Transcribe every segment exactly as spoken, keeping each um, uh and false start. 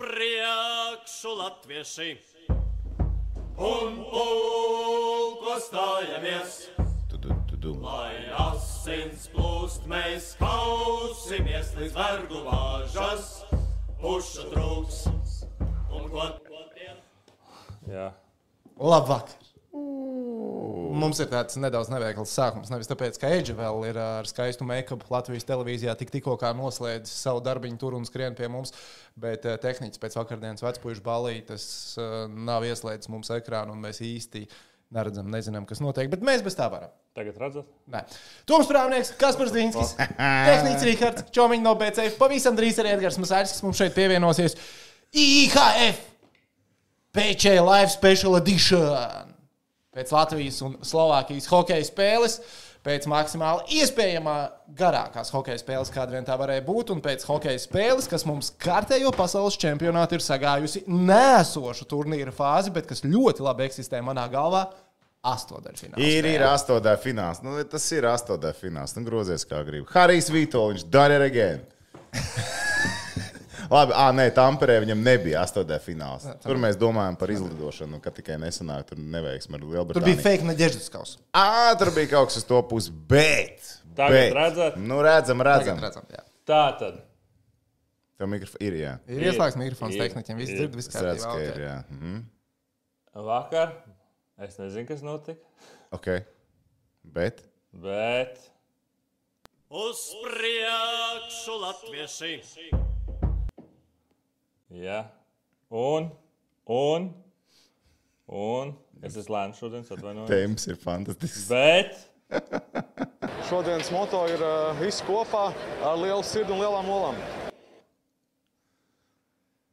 priekšu latvieši un pulko stājamies. Lai asins plūst, mēs kausimies līdz vergu vāžas, pušu trūks un klotiem. Jā. Labvakar. Mums ir tāds nedaudz neveikls sākums, nevis tāpēc, ka Eģe vēl ir ar skaistu make-up Latvijas televīzijā tik tikko kā noslēdzis savu darbiņu tur un skrien pie mums, bet tehniķis pēc vakardienas vecpuišu balītes nav ieslēdzis mums ekrānu un mēs īsti neredzam, nezinām, kas notiek, bet mēs bez tā varam. Tagad redzat? Nē. Toms Prāvnieks, Kaspars Dvīnskis, tehniķis Rihards, Čomiņ no B C F, pavisam drīz arī Edgars Masāļs, kas mums šeit pievienosies. I H F P C Live Special Edition. Pēc Latvijas un Slovākijas hokeja spēles, pēc maksimāli iespējamā garākās hokeja spēles, kāda vien tā varēja būt, un pēc hokeja spēles, kas mums kārtējo pasaules čempionātu ir sagājusi nēsošu turnīra fāzi, bet kas ļoti labi eksistē manā galvā, astotdaļfināls. Ir, ir astotdaļfināls. Nu, tas ir astotdaļfināls. Nu, grozies kā gribi. Harijs Vitoļņš, done it again. Labi, ā, nē, Tamperē viņam nebija astotdaļfināls. Tur mēs domājam par izlidošanu, kad tikai nesanāk, tur neveiksmi ar Lielbritāniju. Tur bija fake Nadeždinskaus. Ā, tur bija kaut kas uz to pusi, bet... Tagad bet, redzat? Nu, redzam, redzam. Tagad redzam, jā. Tā tad. Tev mikrofons ir, jā. Ir ieslēgts mikrofons tehniķiem, viss dzird, viss kārtībā. Redz, ka ir, jā. Mhm. Vakar. Es nezinu, kas notika. Ok. Bet? Bet. Uz priekšu latvieši. Jā. Un, un, un, es esmu lēns šodien, atvainojos. Temps ir fantastisks. Bet. Šodienas moto ir uh, viss kopā ar lielu sirdi un lielām olām.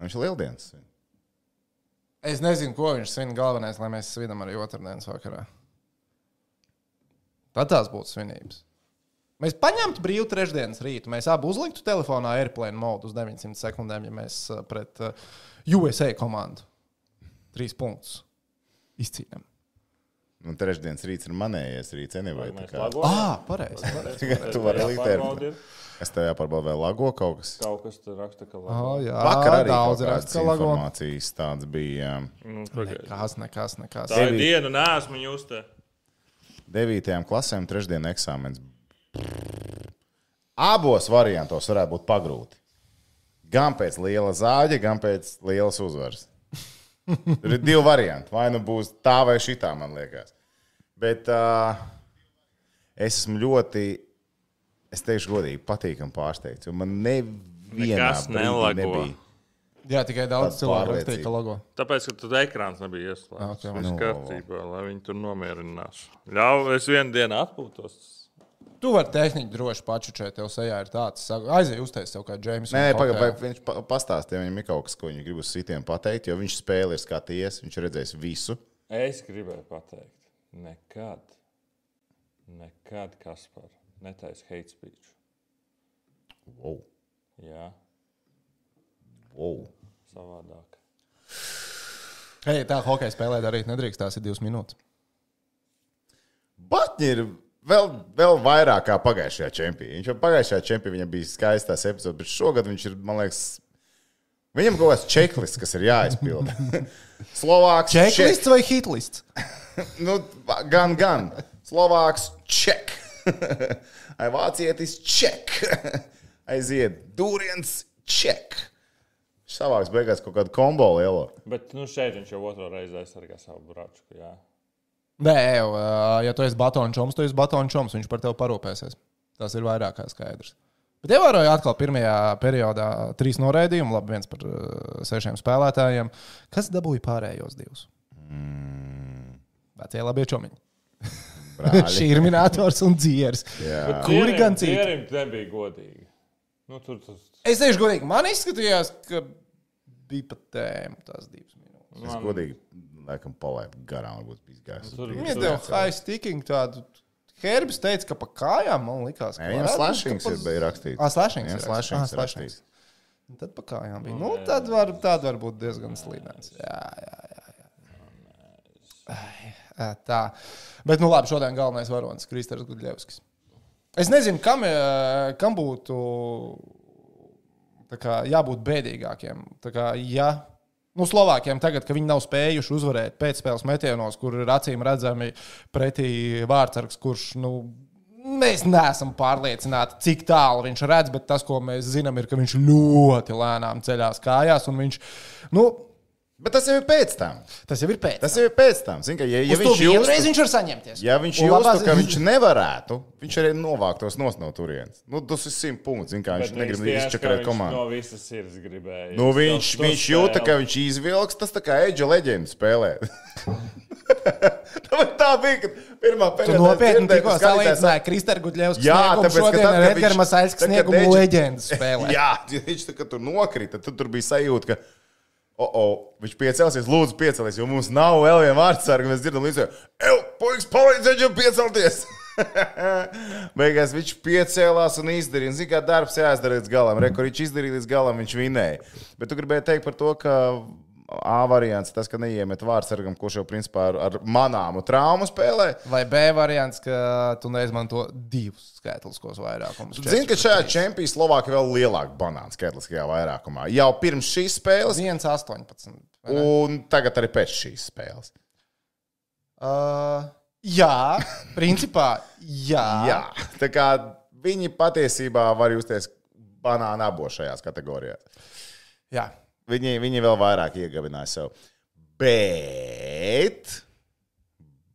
Viņš ir lieldienas. Es nezinu, ko viņš svin galvenais, lai mēs svinam arī otrdienas vakarā. Tad tās būtu svinības. Mēs paņemtu brīvu trešdienas rītu. Mēs abi uzliktu telefonā airplane mode uz deviņsimt sekundēm, ja mēs pret U S A komandu trīs punktus izcīnām. Nu, trešdienas rīts ir manējais rīts, anyway. Ā, pareizi. Tu vari likt airplane. Es tev jāpārbauda vēl lago kaut kas. Kaut kas tur raksta, ka lago. Oh, jā, vakar arī daudz kaut raksta, kādas ka lago. informācijas tāds bija. Nu, nekas, nekas, nekas. Tā ir diena, neesmu jūs te. Devītajām klasēm trešdien eksāmens. Abos variantos varētu būt pagrūti. Gan pēc liela zāģa, gan pēc lielas uzvaras. Tur ir divi varianti. Vai nu būs tā vai šitā, man liekas. Bet uh, es esmu ļoti, es teikšu godīgi, patīkam pārsteigts, jo man nevienā brīdī nebija. Jā, tikai daudz cilvēku rakstīja, ka logo. Tāpēc, ka tad ekrāns nebija ieslēgts. Okay, Viss kārtībā, lai viņi tur nomierinās. Ļauj, es vienu dienu atpūtos. Tu vari tehniķi droši pačučēt, tev sejā ir tāds. Aizēj uztais tev kā Džeims. Nē, pagaid, viņš pastāstīja, viņam ir kaut kas, ko viņš grib uz sitiem pateikt, jo viņš spēli ir skatījies, viņš ir redzējis visu. Es gribēju pateikt, nekad, nekad, Kaspar, netaisi hate speech. Wow. Jā. Wow. Savādāk. Hei, tā hokeja spēlē darīt nedrīkst, tās ir divas minūtes. Batņi ir vēl, vēl vairāk kā pagājušajā čempionā. Viņš jau pagājušajā čempionā viņam bija skaistās epizodes, bet šogad viņš ir, man liekas, viņam kaut kāds checklists, kas ir jāizpilda. Slovāks checklists check. Vai hitlists? Nu, gan, gan. Slovāks check. Ai vācietis check. Aiziet dūriens check. Savāks beigās kaut kādu kombo lielo. Bet nu, šeit viņš jau otro reizi aizsargā savu bračku, jā. Nē, jau, ja tu esi batonu čoms, tu esi batonu čoms, viņš par tevi parūpēsies. Tas ir vairāk kā skaidrs. Bet ievēroju atkal pirmajā periodā trīs noraidījumu, labi viens par uh, sešiem spēlētājiem. Kas dabūja pārējos divus? Mm. Vecie labie čomiņi. Šīrminators un dzieris. Kuri gan citi? Dzierim nebija godīgi. Nu, tur tas... Es teikšu godīgi, man izskatījās, ka bija pat tēma tās divas minūtes. Es man... godīgi, laikam, palaidu garām, varbūt bija gājis. Viņa deva high sticking tādu. Herbis teica, ka pa kājām man likās, ka... Viņam slashings ir bija rakstīts. Ah, slashings ir slashings rakstīts. Tad pa kājām bija. Nu, tad var, tad var būt diezgan slīdens. Jā, jā, jā. jā. Tā. Bet, nu labi, šodien galvenais varonis, Kristers Gudļevskis. Es nezinu, kam, kam būtu Tā kā jābūt bēdīgākiem. Tā kā, ja, nu, Slovākiem tagad, ka viņi nav spējuši uzvarēt pēcspēles metienos, kur ir acīm redzami pretī vārdsargs, kurš, nu, mēs neesam pārliecināti, cik tālu viņš redz, bet tas, ko mēs zinām, ir, ka viņš ļoti lēnām ceļās kājās, un viņš, nu, Bet tas jau ir pēc tam. Tas jau ir pēc tam. Tas jau ir pēc tam. Zin, ka, ja, ja Uz viņš to justu, vienreiz viņš var saņemties. Ja viņš Un justu, labās- ka viņš nevarētu, viņš arī novāktos nos no turienes. Nu, tas ir simt punkts. Zin, kā, viņš negrib izčakarēt komandu. No visas sirds gribēja. Nu, viņš, To- to viņš jūta, spēli. ka viņš izvilks, tas tā kā Edža leģenda spēlē. tā bija, kad pirmā Tu periodā nopietni dzirdēju, tikko ka skatītājs- salīdzināji Kristaru Gudļevsku Jā, sniegumu tāpēc, ka šodien tad, ar kad Edgara viņš- Masaļska tad, kad sniegumu Edži- leģendas spēlē. Jā, viņš tā kā tur nokrita, tad tur bija sajūta, ka o, o, viņš piecelsies, lūdzu, piecelies, jo mums nav vēl viena vārdsarga. Mēs dzirdam, līdz jau, puikas, palīdziet viņam piecelties. Beigās viņš piecēlās un izdarīja. Zini, kā darbs jāizdara līdz galam. Rekur viņš izdarīja līdz galam, viņš vinēja. Bet tu gribēji teikt par to, ka A variants, tas, ka neiemet vārdsargam, kurš jau principā ar, ar manāmu traumu spēlē. Vai B variants, ka tu neizmanto divus skaitliskos vairākumus? Zini, ka šajā čempionā Slovākija vēl lielāka banāna skaitliskajā vairākumā. Jau pirms šīs spēles, viens astoņpadsmit. un tagad arī pēc šīs spēles. Uh, jā, principā, jā. Jā, tā kā viņi patiesībā var justies banāna abos šajās kategorijās. jā. Viņi, viņi vēl vairāk iegabināja sev. Bet,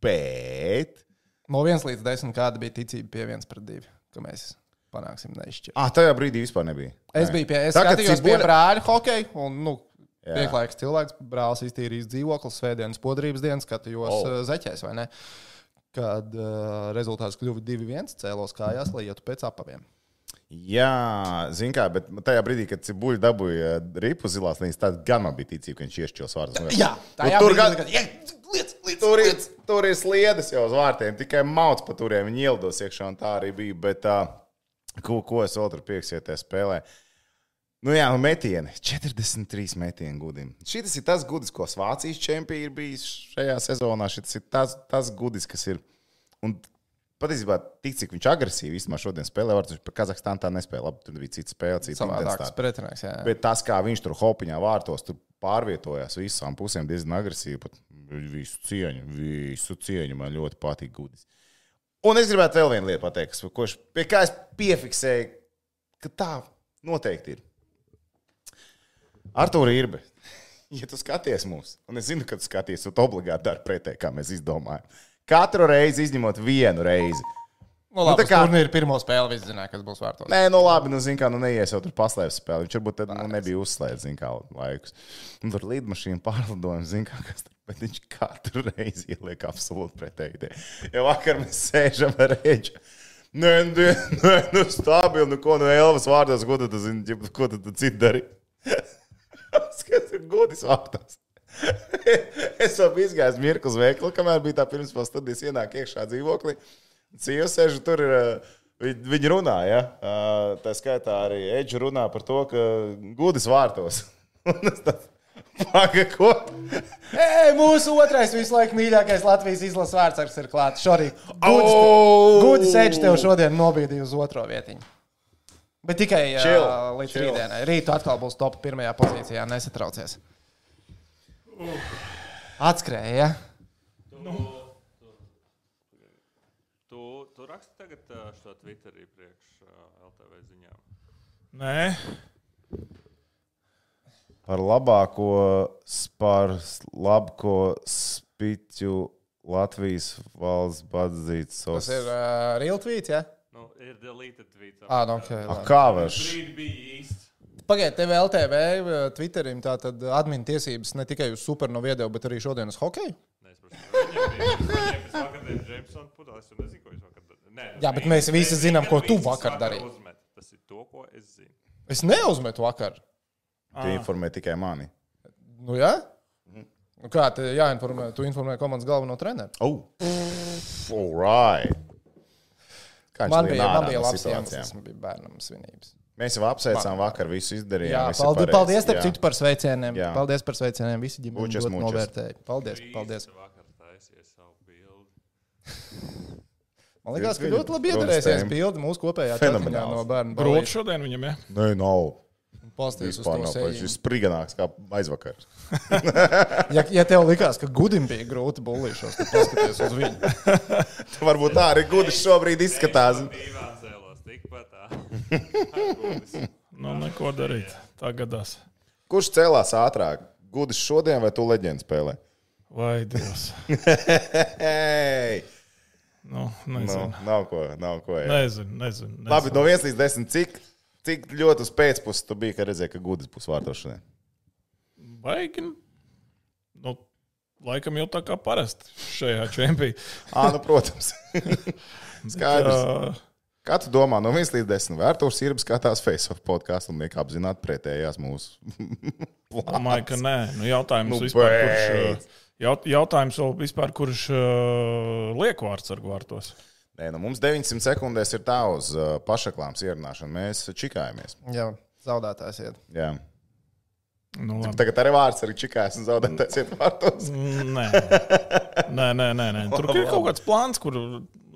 bet. No viens līdz desmit kāda bija ticība pie viens pret divi, ka mēs panāksim neizšķirt. Ah, tajā brīdī vispār nebija. Es Nē. biju pie, es Tagad skatījos Cibuļa- pie brāļa hokeja, un, nu, Jā. pieklājīgs cilvēks, brālis iztīrījis dzīvoklis, svētdienas podrības dienas, skatījos Oh. oh. zeķēs, vai ne? Kad uh, rezultāts kļuva divi viens, cēlos kājās, lai ietu pēc apaviem. Jā, zini kā, bet tajā brīdī, kad Cibuļs dabūja ripu zilās līnijas, tad gan man bija ticība, ka viņš iešķils vārdus. Jā, tā Nu, tur ir gan- liec, liec, Tur ir, liec. tur ir sliedas jau uz vārtiem, tikai mauts pa turiem. Viņi ielidos iekšā, un tā arī bija. Bet, uh, ko, ko es vēl tur pieksieties spēlē? Nu jā, nu metieni. četrdesmit trīs metieni gudim. Šis ir tas gudis, ko Vācijas čempioni ir bijis šajā sezonā. Šis ir tas, tas gudis, kas ir. Un patiesībā, tik cik viņš agresīvi īstenībā šodien spēlē, var viņš par Kazahstānu tā nespēlē. Labi, tur bija cita spēle, cita Savādāks intensitāte. pretinieks, jā. Bet tas, kā viņš tur hopiņā vārtos, tur pārvietojās visām pusēm diezgan agresīvi. Pat visu cieņu, visu cieņu man ļoti patīk gudis. Un es gribētu vēl vienu lietu pateikt, kas- ko es, pie kā es piefiksēju, ka tā noteikti ir. Artūra Irbe, ja tu skaties mūs, un es zinu, ka tu skaties, tu obligāti dari pretēji, kā mēs izdomājam. Katru reizi izņemot vienu reizi. Nu, labi, tā kā- kā... turnīra pirmo spēli visi zināja, kas būs vārtos. Nē, nu labi, nu, zin kā, nu neies jau tur paslēpes spēli. Viņš varbūt tad nu, nebija uzslēdzis, zin kā, laikus. Un tur lidmašīna pārlidojums, zin kā, kas tur, bet viņš katru reizi ieliek absolūti pretēji. Ja vakar mēs sēžam ar Edžu. Nē, nē, nē, nu stabili, nu ko, nu Elvas vārdos, ko tu, tu zini, ko tu, tu citu dari? Skats ir godis vārtos. Es jau biju izgājis mirkli uz veikalu, kamēr bija tā pirms vēl studijas ienāk iekšā dzīvoklī. Sieva sēž, tur ir, viņi, viņi runā, ja? Tā skaitā arī Edža runā par to, ka gudis vārtos. Un es tāds, paga, ko? Ei, mūsu otrais visu laiku mīļākais Latvijas izlases vārdsargs ir klāts. Šorīt Oh! Gudis Edžs tev šodien nobīdīja uz otro vietiņu. Bet tikai Chill, uh, līdz chill. rītdienai. Rītu atkal būs top pirmajā pozīcijā, nesatraucies. Atskrēja, ja? Tu, tu raksti tagad ā, šo Twitterī priekš ā, L T V ziņām. Nē, Par labāko, par labāko spiķu Latvijas valsts padzīts. Tas ir uh, real tweets, ja? Nu, ir deleted tweets. Ā, nu, ok. A, labi. kā var? Brīdi bija īsts. Pagaidiet, tev L T V Twitterim tātad admin tiesības ne tikai uz super no video, bet arī šodien uz hokeju? Nē, es prasu, viņiem bija, viņiem bija vakardien Jamesona pudelis, un nezinu, ko viņš vakar darīja. Nē, Jā, bet mēs visi viņam zinām, ko tu visus vakar darīji. uzmet. Tas ir to, ko es zinu. Es neuzmetu vakar. Tu informē tikai mani. Nu, jā? Nu, kā te jāinformē? Tu informē komandas galveno treneru. Oh, all right. Kā viņš Man lien bija, ārā man bija no labs situācijām? iemesls, man bija bērnam svinības. Mēs jau apsveicām vakar, visu izdarījām. Jā, viss ir paldies, pareizi. paldies starp Jā. citu par sveicieniem. Jā. Paldies par sveicieniem. Visi ģimeni Mučas, ļoti mučas. novērtēja. Paldies, paldies. Visi vakar taisīja savu bildi. Man liekas, ka Viņu ļoti labi iedarēsies protestējumi. bildi mūsu kopējā Fenomenāls. čatiņā no bērnu grūti balīša. šodien viņam, ja? Nē, nav. Pasties uz Vispār to nav sējiņu. paši. Šis spriganāks kā aizvakar. Ja, ja tev likās, ka Gudim bija grūti bullīšos, tad paskaties uz viņu. Varbūt tā arī Gudis šobrīd izskatās. Divās ēlos, tikpat tā. Nu, neko darīt. Tā gadās. Kurš cēlās ātrāk? Gudis šodien vai tu leģendu spēlē? Vai Dievs. Hei! Nu, Nu, nezinu. nav ko, nav ko. Jā. Nezinu, nezinu. nezinu. Labi, no viens līdz desmit, cik, cik ļoti uz pēcpusi tu biji, kad redzēji, ka Gudis būs vārtos šodien? Baigi. Nu, laikam jau tā kā parasti šajā čempī. Ā, nu, protams. Skaidrs. Jā, Kā tu domā, no viens līdz desmit, vai Artūrs Irbs skatās Face-Off podcastu un liek apzināt pretējās mūsu domāju, ka nē. Nu, jautājums Nu, vispār, beidz. kurš, jaut, jautājums vēl vispār, kurš uh, liek vārds ar vārtos. Nē, nu mums deviņsimt sekundēs ir tā uz uh, pašaklāms ierunāšanu. Mēs čikājamies. Jā, zaudētājs iet. Jā. Nu, labi. Tagad arī vārds arī čikājas un zaudētājs iet vārtos. Nē, nē, nē, nē, nē. Tur ir kaut kāds plāns, kuru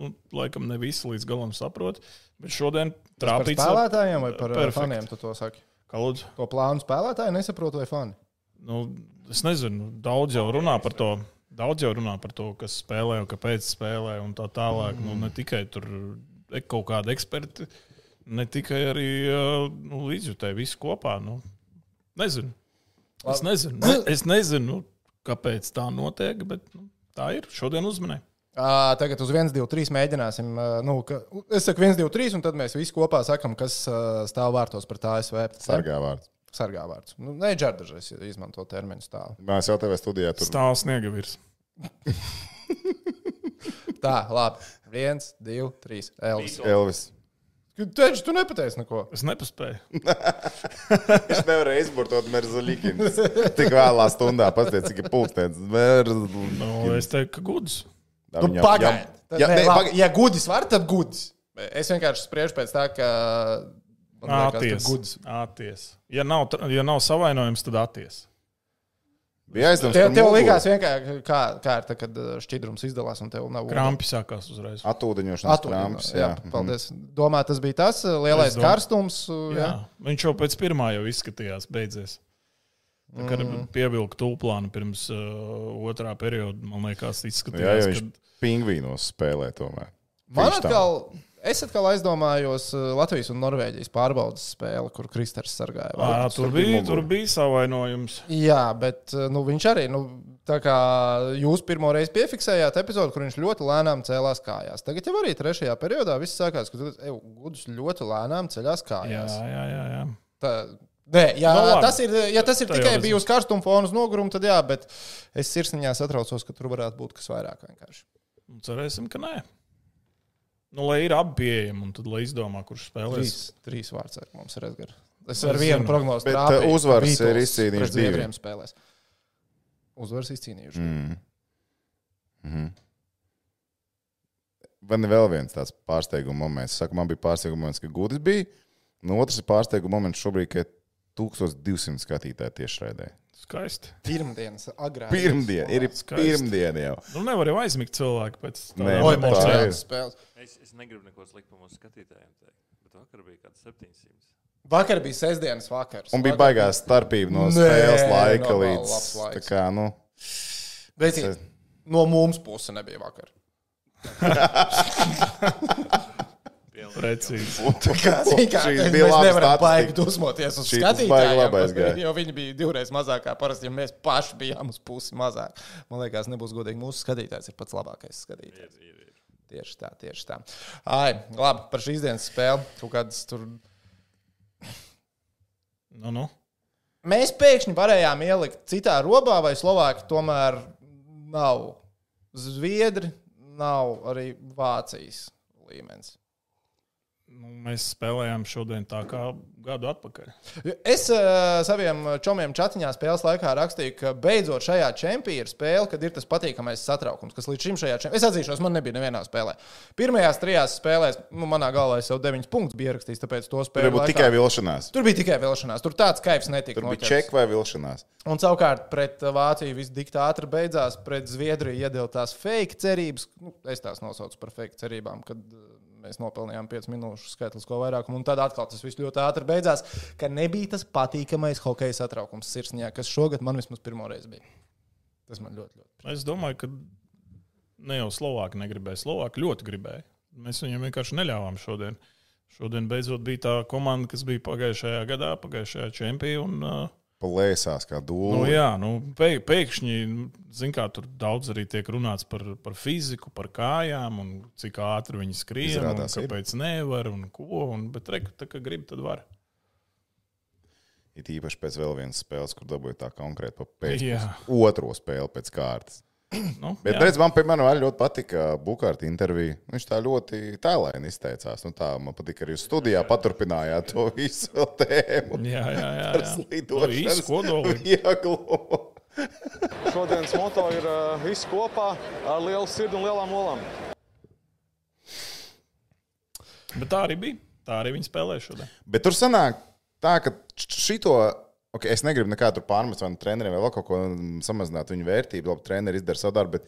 nu, laikam ne visi līdz galam saprot. Bet šodien Par trāpīts spēlētājiem vai par Perfekt. faniem tu to saki? Kā lūdzu? To plānu spēlētāji nesaprot vai fani? Nu, es nezinu, daudz jau runā par to. Daudz jau runā par to, kas spēlē un kāpēc spēlē un tā tālāk. Mm. Nu, ne tikai tur ir kaut kādi eksperti, ne tikai arī nu, līdzjutēji visi kopā. Nu, nezinu. Es nezinu, ne, es nezinu, kāpēc tā notiek, bet nu, tā ir. Šodien uzmanēju. À, tagad uz viens, divi, trīs mēģināsim. Nu, ka, es saku viens, divi, trīs, un tad mēs visi kopā sakam, kas stāv vārtos pret A S V. Sargā vārds. Sargā vārds. Nu, ne džardažais izmanto terminu stāvu. Mēs jau tev studijā tur. Stāv sniegavirs. Tā, labi. Viens, divi, trīs. Elvis. Elvis. Taču tu nepateici neko. Es nepaspēju. Viņš nevarēja izburtot Merzaļikins. Tik vēlā stundā pasties, cik ir pulkstens. Merzaļikins. Nu, es teiktu, ka gudrs. Nu, pagaidi. Ja, Ne, ne, labi, pagaid. ja gudis var, tad gudis. Es vienkārši spriežu pēc tā, ka... man liekas, ka Atties. gudis. Atties. Ja nav, tra- ja nav savainojums, tad atties. Bija aizdoms, Tev, ka tev muguru likās vienkārši, kā, kā ir tā, kad šķidrums izdalās un tev nav... Krampi sākās uzreiz. Atūdeņošanas Atūdeņo, kramps. jā, paldies. Domā, tas bija tas lielais Es domāju. karstums. Jā. Jā. Viņš jau pēc pirmā jau izskatījās, beidzies. Tā kā mm. pievilka tūplānu pirms uh, otrā perioda, man liekas, Jā, izskatījās, jo viņš pingvīnos spēlē tomēr. Man Viņš tā. atkal, es atkal aizdomājos uh, Latvijas un Norvēģijas pārbaudas spēli, kur Kristers sargāja. ka Ā, tur, bija, tur bija savainojums. Jā, bet uh, nu, viņš arī, nu, tā kā jūs pirmo reizi piefiksējāt epizodu, kur viņš ļoti lēnām cēlās kājās. Tagad jau arī trešajā periodā viss sākās, ka Gudus ļoti lēnām ceļās Jā, kājās. jā, jā. jā. Tā, nē, ja, Nu, labi. tas ir, ja tas ir Tā jau tikai redzam. bijis karstuma fona uz nogurumu, tad jā, bet es sirsniņā satraucos, ka tur varētu būt kas vairāk vienkārši. Nu, cerēsim, ka nē. Nu, lai ir abi pieejami, un tad lai izdomā, kurš spēlēs. Trīs, trīs vārds mums ir Edgars. Es Es ar vienu zinu. prognozi Bet, trāpīju, uh, uzvaras Beatles ir izcīnījuši pret divi. Zviedriem spēlēs. Uzvaras izcīnījuši. Mm. Mm. Man ir vēl viens tāds pārsteiguma moments. Saku, man bija pārsteiguma moments, ka Gudis bija. No otrs ir pārsteiguma moments šobrīd, ka tūkstoš divsimt skatītāji tiešraidē. Skaisti. Pirmdienas agrāk. Pirmdien, ir Skaisti. pirmdiena jau. Nu, nevar jau aizmigt cilvēku pēc Nē, tādām Oi, tā mums emocijām. ir. tādas spēles. Es, es negribu neko slikt par mūsu skatītājiem teikt, bet vakar bija kāds septiņsimt. Vakar bija sestdienas vakars. Un bija Vakar baigās starpība no Nē, spēles laika normāli līdz. labs laiks. Tā kā, nu, Bet no mums puses nebija vakar. Precīzi. Kā, zini, kā, Šīs mēs bija labas nevaram baigi statistika. dusmoties uz Šī tas baigi labais gāja. skatītājiem, jo viņi bija divreiz mazāk kā parasti, ja mēs paši bijām uz pusi mazāk. Man liekas, nebūs godīgi. Mūsu skatītājs ir pats labākais skatītājs. Ir, ir, ir. Tieši tā, tieši tā. Ai, labi, par šīs dienas spēli. Kaut kādas tur. Nu, nu. Mēs pēkšņi varējām ielikt citā robā, vai Slovāki tomēr nav Zviedri, nav arī Vācijas līmenis. Nu, mēs spēlējām šodien tā kā gadu atpakaļ. Es uh, saviem čomiem čatiņā spēles laikā rakstīju, ka beidzot šajā čempionā ir spēle, kad ir tas patīkamais satraukums, kas līdz šim šajā čempionā. Es atzīšos, man nebija nevienā spēlē. Pirmajās trijās spēlēs, nu, manā galvā es jau deviņus punktus biju ierakstījis, tāpēc to tur spēlēju. bija tikai vilšanās. Tur bija tikai vilšanās, tur tāds kaifs netika. Tur bija noķerts. čeka vai vilšanās. Un savukārt pret Vāciju viss tik ātri beidzās, pret Zviedriju iedeva tās fake cerības. Nu, es tās nosaucu par fake cerībām, kad uh, mēs nopelnījām piecas minūšu skaitlisko vairākumu, un tad atkal tas viss ļoti ātri beidzās, ka nebija tas patīkamais hokeja satraukums sirsniņā, kas šogad man vismaz pirmo reizi bija. Tas man ļoti, ļoti. Es domāju, ka ne jau Slovāki negribēja. Slovāki ļoti gribēja. Mēs viņiem vienkārši neļāvām šodien. Šodien beidzot bija tā komanda, kas bija pagājušajā gadā, pagājušajā čempionā. Un, Plēsās kā dūle. Nu, jā, nu, pēkšņi, zin kā, tur daudz arī tiek runāts par, par fiziku, par kājām, un cik ātri viņi skrien, Izrādās, un kāpēc ir. Nevar, un ko, un, bet reku, tā kā grib, tad var. It īpaši pēc vēl vienas spēles, kur dabūja tā konkrēti pa pēc otro spēli pēc kārtas. Nu, bet, redz, man, piemēram, arī ļoti patika Bukārta intervija. Viņš tā ļoti tēlaini izteicās. Nu, tā, man patika arī uz studijā paturpinājāt to visu tēmu. Jā, jā, jā. Par slidošanas vieglumu. Šodienas moto ir uh, viss kopā ar lielu sirdi un lielām olām. Bet tā arī bija. Tā arī viņi spēlēja šodien. Bet tur sanāk tā, ka šito... Okay, es negribu nekādu pārmest vai treneriem vai vēl kaut ko samazināt viņu vērtību. Labi, treneri izdara savu darbu, bet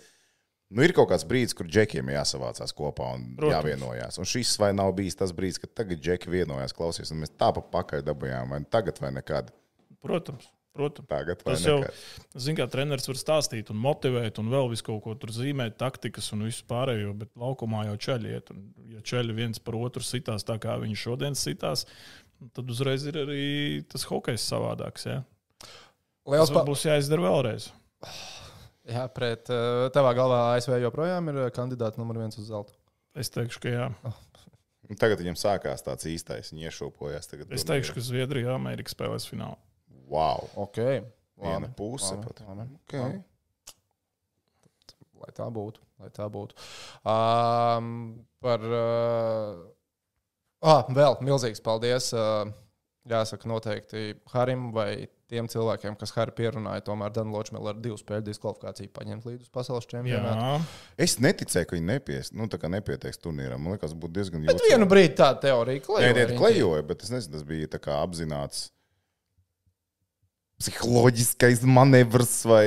nu, ir kaut kāds brīdis, kur džekiem jāsavācās kopā un Protams. Jāvienojās. Un šis vai nav bijis tas brīdis, kad tagad džeki vienojās, klausies, un mēs tā pa pakaļ dabujām, vai tagad vai nekad? Protams. Protams. Tagad vai tas jau, nekad? zin kā, treneris var stāstīt un motivēt un vēl visu kaut ko tur zīmēt, taktikas un visu pārējo, bet laukumā jau čeļi iet. Un, ja čeļi viens par otru sitās tā, kā viņi šodien sitās, tad uzreiz ir arī tas hokejs savādāks. Ja? Tas pa... būs jāizdara vēlreiz. Jā, pret tavā galvā A S V joprojām ir kandidāti numur viens uz zeltu. Es teikšu, ka jā. Oh. Tagad viņam sākās tāds īstais, viņi iešūpojās. Tagad es teikšu, ka Zviedrija Amerika spēlēs finālu. Wow. Ok. Viena puse pat. Okay. Lai tā būtu. Lai tā būtu. Um, par... Uh... Ah, vēl milzīgs paldies. Jāsaka noteikti Harim vai tiem cilvēkiem, kas Hari pierunāja, tomēr Dan Ločmēl ar divu spēļu diskvalifikāciju paņemt līdz uz pasaules čempionātu. Es neticēju, ka viņi nepies, nu, tā kā nepieteiks turnīram. Man liekas, būtu diezgan jūtas. Bet vienu brīdi tā teorija klejoja. Nē, klejoja, bet es nezinu, tas bija tā kā apzināts psiholoģiskais manevrs vai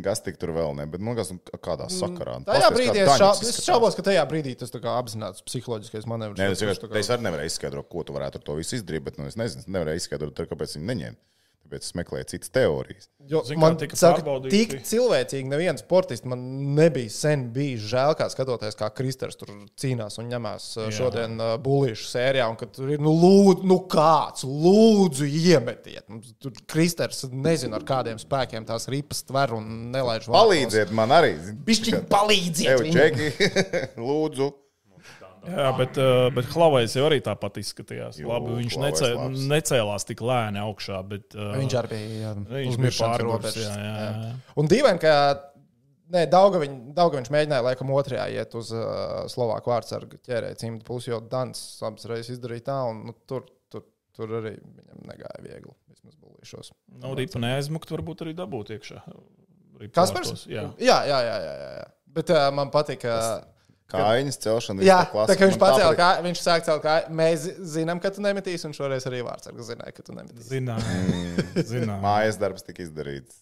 kas tik tur vēl ne, bet man liekas, kādā sakarā. Tajā brīdī es, šā, es šaubos, ka tajā brīdī tas tā kā apzināts psiholoģiskais manevrs. Nē, es, es, kā... es arī nevarēju izskaidrot, ko tu varētu ar to visu izdarīt, bet nu, es nezinu, es nevarēju izskaidrot, kāpēc viņi neņem. Tāpēc es meklēju citas teorijas. Jo, Zin, man saka, tik cilvēcīgi neviens sportists man nebija sen bijis žēl, kā skatoties, kā Kristers tur cīnās un ņemās Jā. Šodien uh, bulīšu sērijā, un ka tur ir, nu, lūdzu, nu kāds, lūdzu, iemetiet. Tur Kristers nezinu, ar kādiem spēkiem tās ripas tver un nelaiž vārtos. Palīdziet man arī. Bišķiņ palīdziet viņam. Čeki, lūdzu. Jā, bet, bet Hlavējs jau arī tāpat izskatījās. Jū, Labi, viņš necē, necēlās tik lēni augšā, bet viņš arī bija uzmiršanas robežas. Jā, jā, jā. Un dīvaini, ka ne, Daugaviņ, Daugaviņš mēģināja laikam otrajā iet uz uh, Slovāku vārdsargu ķērēja cimdu pusi, jo Dans abas reizes izdarīja tā, un nu, tur, tur, tur arī viņam negāja viegli. Vismaz bulīšos. Nu, ripa neaizmukt, varbūt arī dabūt iekšā. Kaspars? Jā. Jā, jā, jā, jā, jā. Bet uh, man patika... Tas... Kājiņas celšana. Jā, tā kā viņš pacēla kāju, viņš sāk celt kāju. Mēs zinām, ka tu nemetīsi, un šoreiz arī vārdsargs zināja, ka tu nemetīsi. Zināja. Mm, zināja. Mājas darbs tika izdarīts.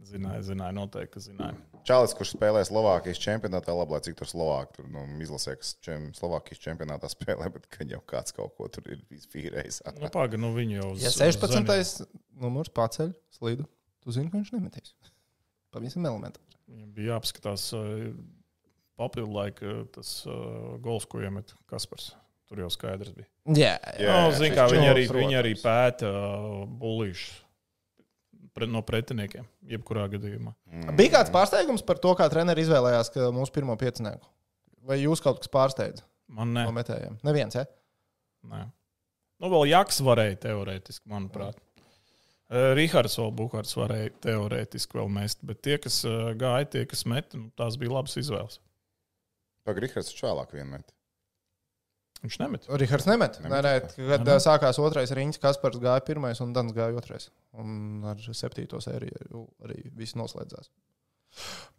Zināja, zināja, noteikti, ka zināja. Čalis, kurš spēlē Slovākijas čempionātā, labi, lai cik tur Slovāki tur nu, izlasē, kas čem, Slovākijas čempionātā spēlē, bet kad jau kāds kaut ko tur ir izfīrējis. Nu, paga, nu viņi jau uz... Ja sešpadsmitais numurs paceļ slīdu, tu zini, ka viņš nemetīs. Pavisam elementāri. Viņam bija jāapskatās... Papildu laika tas uh, gols, ko iemet Kaspars. Tur jau skaidrs bija. Jā, jā. No, zin, kā, viņi, arī, viņi arī pēta uh, bulīšus pret, no pretiniekiem, jebkurā gadījumā. Mm. Bija kāds pārsteigums par to, kā treneri izvēlējās mūsu pirmo piecinieku? Vai jūs kaut kas pārsteidza? Man ne. No metējiem? Neviens, ja? Nē. Nu, vēl Jaks varēja teorētiski, manuprāt. Mm. Rihards vēl Bukārts varēja teorētiski vēl mest, bet tie, kas uh, gāja, tie, kas met, nu, tās bija labas izvēles. Pag, Rihards taču vēlāk vienmēr. Viņš nemet. Rihards nemet. Nē, nē, kad nemet. Sākās otrais riņķis, Kaspars gāja pirmais un Dans gāja otrais. Un ar septīto sēriju arī viss noslēdzās.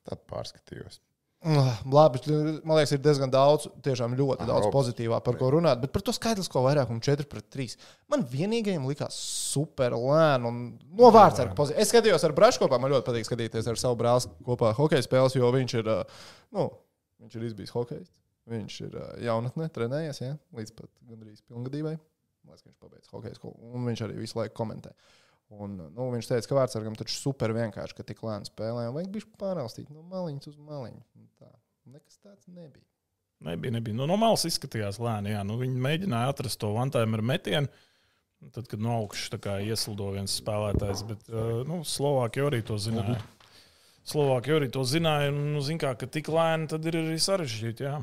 Tad pārskatījos. Labi, man liekas, ir diezgan daudz, tiešām ļoti daudz pozitīvā, par ko runāt, bet par to skaitlisko vairākumu četri pret trīs. Man vienīgajam likās super lēni un no vārdsarga pozīcija. Es skatījos ar Brašu kopā, man ļoti patīk skatīties ar savu brāli kopā hokeja spēles, jo viņš ir, nu, viņš ir izbijis hokejs. Viņš ir jaunatnē, trenējies, ja? Līdz pat gandrīz pilngadībai. Liekas, ka viņš pabeidz hokeja skolu. Un viņš arī visu laiku komentē. Un, nu, viņš teica, ka vārdsargam taču super vienkārši, ka tik lēni spēlē. Un vajag bišķi pārelstīt no maliņas uz maliņu. Tā. Nekas tāds nebija. Nebija, nebija. Nu, no malas izskatījās lēni, jā. Nu, viņi mēģināja atrast to one-timer metienu. Tad, kad no augšas ieslido viens spēlētājs. Bet nu, Slovākija arī to zināja. Slovākija arī to zināja. Un, nu, zin kā, ka tik lēni tad ir arī sarežģīti, jā.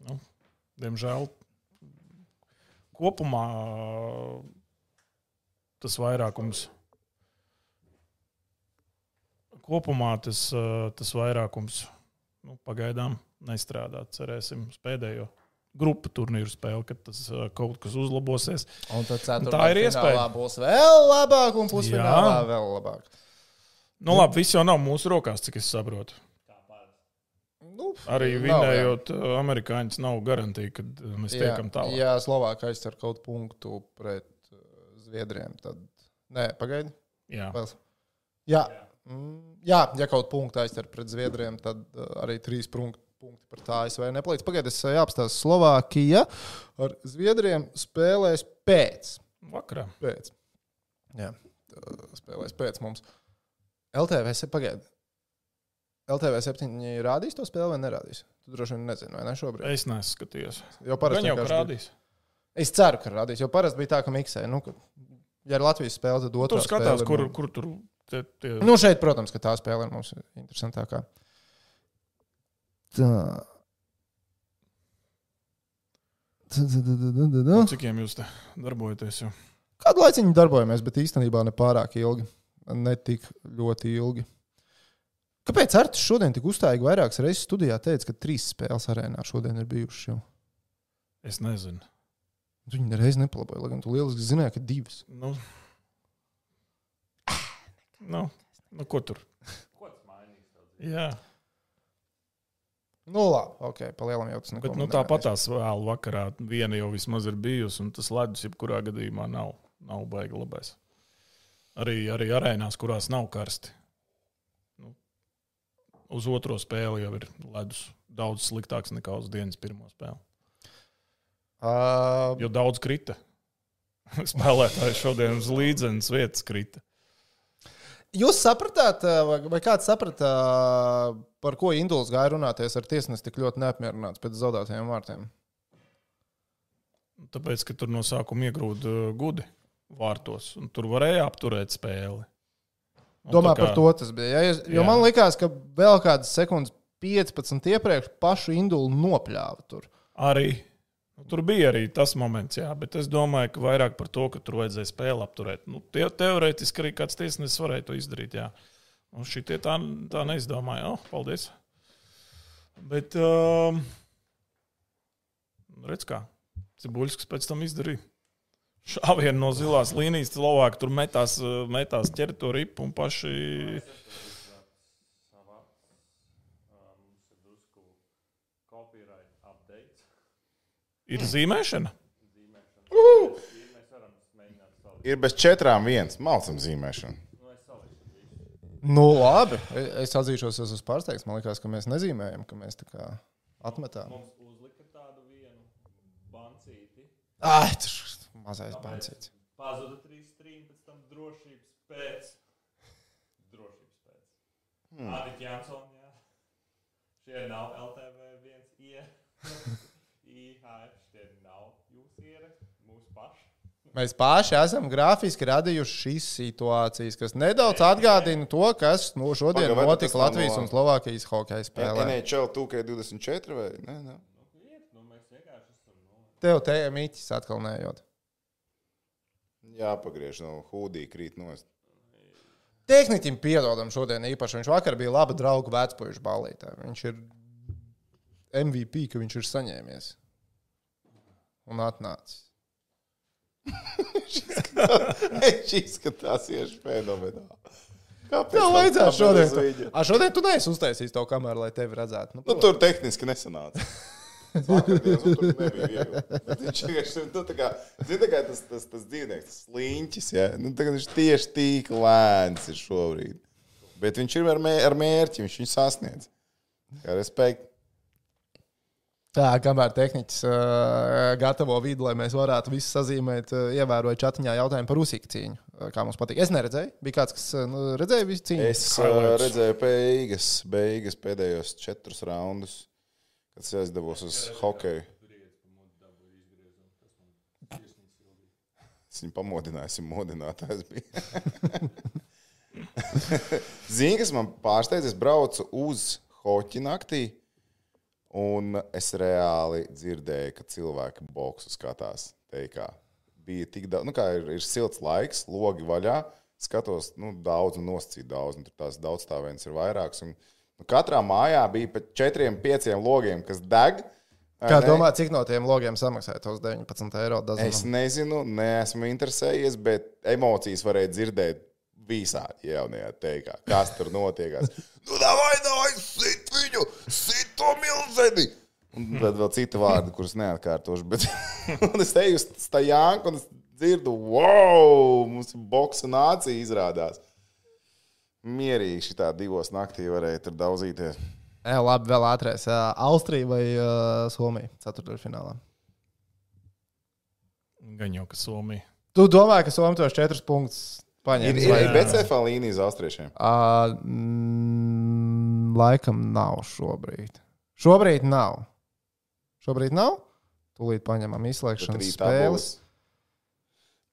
Nu, diemžēl kopumā tas vairākums kopumā tas, tas vairākums nu, pagaidām nestrādā. Cerēsim uz pēdējo grupu turnīru spēli, kad tas kaut kas uzlabosies. Un tad ceturtā tā ir iespēja. Būs vēl labāk un pusfinālā vēl labāk. Nu labi, viss jau nav mūsu rokās, cik es saprotu. Nu, arī vinējot amerikāņus nav garantija, ka mēs tiekam tālāk. Ja Slovākija aizcer kaut punktu pret Zviedriem, tad... Nē, pagaidi. Jā. Jā. Jā, ja kaut punktu aizcer pret Zviedriem, tad arī trīs punkti pret A S V nepalīdz. Pagaidi, es jāapstāstu. Slovākija ar Zviedriem spēlēs pēc. Vakarā. Pēc. Jā, spēlēs pēc mums. L T V, pagaidi. L T V septiņi rādīs to spēli vai nerādīs? Tu droši vien nezini, vai ne šobrīd? Es neskatījos. Jo parasti jau rādīs. Bija... Es ceru, ka rādīs, jo parasti bija tā, ka miksē. Nu, ka, ja ir Latvijas spēle, tad otrā tu skatās, spēle... Kur, ir... kur tur... Tie, tie... Nu, šeit, protams, ka tā spēle ir mums interesantākā. Tā. Cikiem jūs te darbojaties jau? Kādu laiciņu darbojamies, bet īstenībā ne pārāk ilgi. Ne tik ļoti ilgi. Kāpēc Artis šodien tik uzstājīgi vairākas reizes studijā teica, ka trīs spēles arēnā šodien ir bijušas jau? Es nezinu. Tu viņu nereiz nepalaboja, lai gan tu lieliski zināji, ka divas. Nu, nu, nu ko tur? Ko tas mainīs? Jā. Nu labi, ok, palielam jau tas neko. Bet nu, tāpatās vēl vakarā viena jau vismaz ir bijusi, un tas ledus jebkurā gadījumā nav, nav baigi labais. Arī, arī arēnās, kurās nav karsti. Uz otro spēli jau ir ledus daudz sliktāks nekā uz dienas pirmo spēli. Uh, jo daudz krita. Spēlētāji šodien uz līdzenas vietas krita. Jūs sapratāt, vai, vai kāds saprata, par ko Induls gāja runāties ar tiesnesi tik ļoti neapmierināts pēc zaudētajiem vārtiem? Tāpēc, ka tur no sākuma iegrūda gudi vārtos, un tur varēja apturēt spēli. Domā, kā... par to tas bija. Ja, jo jā. Man likās, ka vēl kādas sekundes piecpadsmit iepriekš pašu Indulu nopļāva tur. Arī. Tur bija arī tas moments, jā, bet es domāju, ka vairāk par to, ka tur vajadzēja spēli apturēt. Nu, te, teorētiski arī kāds tiesnesis varēja to izdarīt, jā. Un šitie tā, tā neizdomāja. Oh, paldies. Bet, um, redz kā, Cibuļskis pēc tam izdarīja. Šāvienu no zilās līnijas, Slovāki tur metās, metās ķer to ripu un paši... Ir zīmēšana? Uh! Ir bez četrām viens. Malcam zīmēšana. Nu labi, es atzīšos, es esmu pārsteigts. Man liekas, ka mēs nezīmējam, ka mēs tā kā atmetām. Mums uzlika tādu vienu bancīti. Ai, tas... Mazais bancīts. Pazuda trīs strīm, pēc tam drošības pēc. Drošības pēc. Hmm. Adit Jansson, jā. Šie nav L T V viens I. I H F, šie nav jūs ieraksti, mūsu paši. Mēs paši esam grafiski radījuši šīs situācijas, kas nedaudz atgādina to, kas no šodien Paga, notika Latvijas no... un Slovākijas hokeja spēlē. N H L two K twenty-four vai? Nē, nē. Nu, mēs vienkārši esam... No... Tev te miķis atkal nejot. Jāpagriež no hūdī krīt nost. Tehniķim piedodam šodien īpaši. Viņš vakar bija laba draugu vecpuišu ballītē. Viņš ir M V P, ka viņš ir saņēmies. Un atnācis. Viņš izskatās ieši fenomenāli. Kāpēc? Tev vajadzētu šodien. A, šodien tu neesi uztaisījis to kameru, lai tevi redzētu. Nu, nu, tur tehniski nesanāca. Vakardienas, un tur nebija viegli. Viņš vienkārši, nu, tā kā, zin, tā kā tas, tas, tas dzīvnieks, tas sliņķis, ja? Nu, tā kā viņš tieši tik lēns ir šobrīd. Bet viņš ir ar, mē, ar mērķi, viņš viņu sasniedz. Kā respekt. Tā, kamēr tehniķis uh, gatavo vidi, lai mēs varētu visu sazīmēt, uh, ievēroju čatiņā jautājumu par Usīku cīņu. Uh, kā mums patīk. Es neredzēju. Bija kāds, kas uh, redzēja visu cīņu? Es uh, redzēju beigas, beigas pēdējos četrus raundus, kad es aizdevos uz hokeju. Es viņu pamodināju, es viņu modinātājs bija. Zini, kas man pārsteidz, es braucu uz hoķi naktī. Un es reāli dzirdēju, ka cilvēki boksu skatās teikā. Bija tik daudz, nu kā ir, ir silts laiks, logi vaļā, skatos, nu daudz un nosacīt daudz, un tur tās daudzstāvēns ir vairāks. Un, nu, katrā mājā bija pat četriem, pieciem logiem, kas deg. Kā ne? Domā, cik no tiem logiem samaksāja tos deviņpadsmit eiro dazinam? Es nezinu, neesmu interesējies, bet emocijas varēja dzirdēt visādi jaunajā teikā. Kas tur notiekās? Nu, davai, davai, sit viņu, sit to milzeni! Un tad vēl citi vārdi, kurus neatkārtošu, bet un es eju uz Stajānku un es dzirdu, wow, mums ir boksa nācija izrādās. Mierīgi šitā divos naktī varēja tur daudzīties. Jā, labi, vēl ātrēs. Austrija vai uh, Somija ceturtdaļfinālā? Gan jau, ka Somija. Tu domāji, ka Somija tos četrus punktus paņems? Ir, ir B C F līnija uz austriešiem? Uh, mm, laikam nav šobrīd. Šobrīd nav. Šobrīd nav? Tūlīt paņemam izslēgšanas spēles.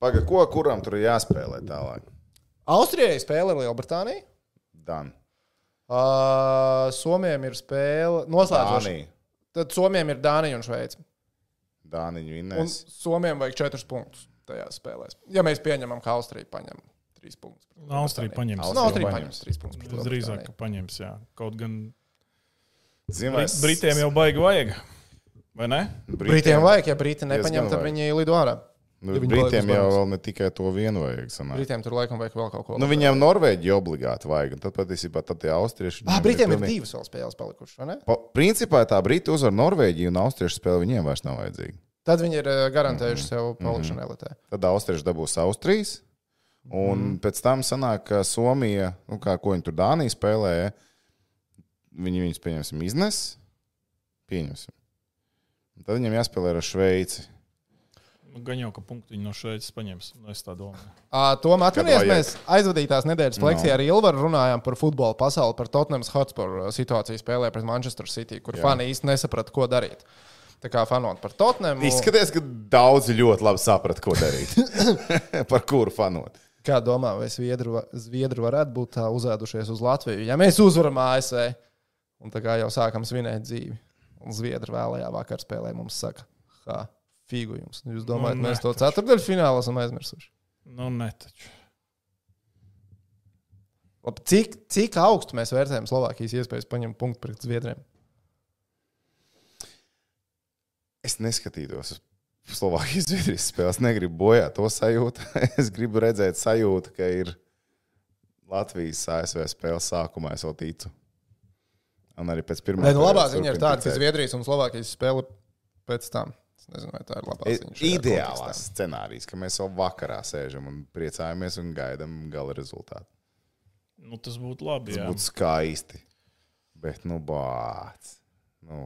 Paga, ko kuram tur ir jāspēlē tālāk? Austrijai spēle Lielbritānija. Dan. Uh, Somijam ir spēle noslēdzoša. Dānija. Tad Somijam ir Dānija un Šveice. Dāniņu Un vinnēs. Somijam vajag četrus punktus tajās spēlēs. Ja mēs pieņemam, ka Austrija paņem trīs punktus. Austrija paņems. No, Austrija paņems trīs punktus. Es drīzāk, ka paņems, jā. Kaut gan Zimais... Britiem jau baigi vajag, vai ne? Britiem vajag, ja Briti nepaņem, tad vajag. viņi lido ārā. Nu, Ja viņi Britiem paliek uz jau manis. vēl ne tikai to vienu vajag. Sanāk. Britiem tur laikam vajag vēl kaut ko. Nu, viņiem Norvēģi obligāti vajag, un tad patiesībā tad tie austrieši... Ah, viņiem Britiem ir pilnīgi- divas vēl spēles palikušas, vai ne? Pa, principā tā Briti uzvar Norvēģiju un austriešu spēle viņiem vairs nav vajadzīga. Tad viņi ir eh, garantējuši sev palikšanu elitē. Tad austrieši dabūs Austrijas, un mm. pēc tam sanāk, ka Somija, nu kā ko viņi tur Dānija spēlēja, viņi viņus pieņemsim iznes, pieņemsim. Un tad viņiem jāspēlē ar Šveici. Nu, gan jau, ka punktu viņi no Šveices paņems. Nu, es tā domāju. Uh, Tom, atceries, vajag? mēs aizvadītās nedēļas fleksijā No. ar Ilvaru runājām par futbola pasauli, par Tottenham Hotspur situāciju spēlē pret Manchester City, kur Jā. fani īsti nesaprata, ko darīt. Tā kā fanot par Tottenhamu. Izskaties, ka daudzi ļoti labi saprat, ko darīt. Par kuru fanot. Kā domā, vai Zviedri, va- Zviedri varētu būt tā uzēdušies uz Latviju? Ja mēs uzvaram A S V, un tā kā jau sākam svinēt dzīvi, un Zviedri vēlējā vakar spēlē mums saka, ha, figu jums. Jūs domājat, Nu, mēs ne, to taču. ceturtdaļu finālu esam aizmirsuši? Nu, ne taču. Labi, cik, cik augstu mēs vērtējam Slovākijas iespējas paņemt punktu pret Zviedriem? Es neskatītos uz Slovākijas Zviedrijas spēles, negribu bojāt to sajūtu. Es gribu redzēt sajūtu, ka ir Latvijas A S V spēles sākumā, es vēl ticu. Un arī pēc pirmā. Nē, nu, labā perioda ziņa ir turpinu tāda, ka ticēt. Zviedrijas un Slovākijas spēle pēc tam. Es nezinu, vai tā ir labā ziņa. šajā Ideālās kontekstā. scenārijas, ka mēs vēl vakarā sēžam un priecājamies un gaidām gala rezultātu. Nu, tas būtu labi, Tas jā. būtu skaisti. Bet, nu, bāc. Nu,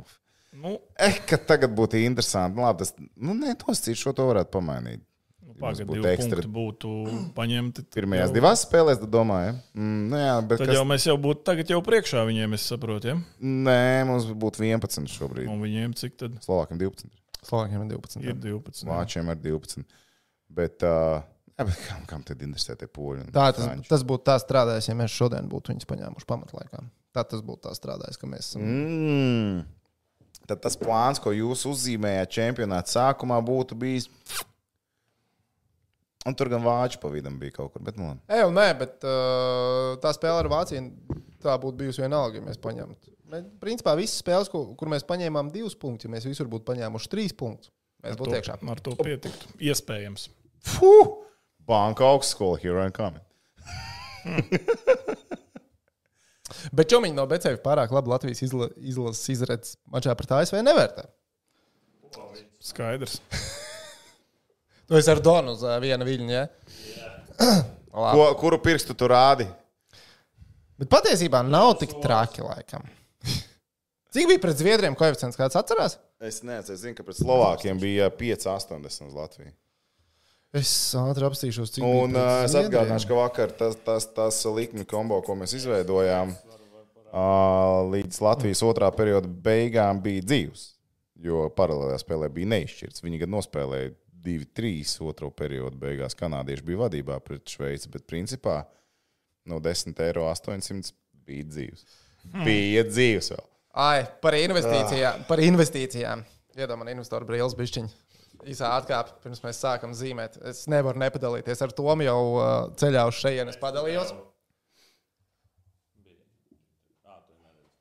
Nu, eh, ka tagad būtu interesanti. Nu, labi, tas, nu, nē, tos cits šo to varētu pamainīt. nu Mums pagad, būtu divi ekstra- punkti būtu paņemti. Pirmajās jau- divās spēlēs, tad domāju, ja? mm, nu, jā, bet Tad kas... jau mēs jau būtu tagad jau priekšā viņiem, es saprotu, ja? Nē, mums būtu vienpadsmit šobrīd. Un viņiem cik tad Slovākiem divpadsmit. Slovākiem ir divpadsmit. ir divpadsmit. jā. Vāčiem ar divpadsmit. Bet, uh, jā, bet kam, kam tad interesē tie poļi? un Tā, tas, franči? tas būtu tā strādājis, ja mēs šodien būtu viņus paņēmuši pamatlaikā. Tā tas būtu tā strādājis, ka mēs esam. Mm. Tad tas plāns, ko jūs uzzīmējāt čempionāta sākumā, būtu bijis. Un tur gan vāču pa vidam bija kaut kur. Bet, nu, Ej, un nē, bet uh, tā spēle ar Vāciju, tā būtu bijusi vienalga, ja mēs paņemtu. Mēs, principā visas spēles, kur, kur mēs paņēmām divus punktus, ja mēs visur būtu paņēmuši trīs punktus, mēs Ar būtu to- iekšā. Ar to pietiktu. Iespējams. fuh! Banka augstskola, here I come. Bet Čomiņš no Becēva pārāk labi Latvijas izla, izlases izredzes mačā pret A S V nevērtē. Skaidrs. Tu esi ar Donu uz uh, viena viļņa, ja? Labi. Ko, kuru pirkstu tu rādi? Bet patiesībā nav tik traki laikam. Cik bija pret Zviedriem koeficients, kāds atcerās? Es neatceros, es zinu, ka pret Slovākiem bija pieci astoņdesmit uz Latviju. Es ātri apstīšos, cik Un bija uh, es atgādināšu, ka vakar tas, tas, tas likmi kombo, ko mēs izveidojām, uh, līdz Latvijas otrā perioda beigām bija dzīvs. Jo paralēlajā spēlē bija neizšķirts. Viņi gan nospēlēja divi trīs otro periodu beigās. Kanādieši bija vadībā pret Šveici, bet principā no desmit eiro astoņsimt bija dzīvs. Hmm. Bija dzīvs vēl. Ai, par investīcijām. Par investīcijām. Iedod man investoru brīles bišķiņu. Īsā atkāpe, pirms mēs sākam zīmēt. Es nevaru nepadalīties. Ar Tomu jau uh, ceļā uz šejienes padalījos.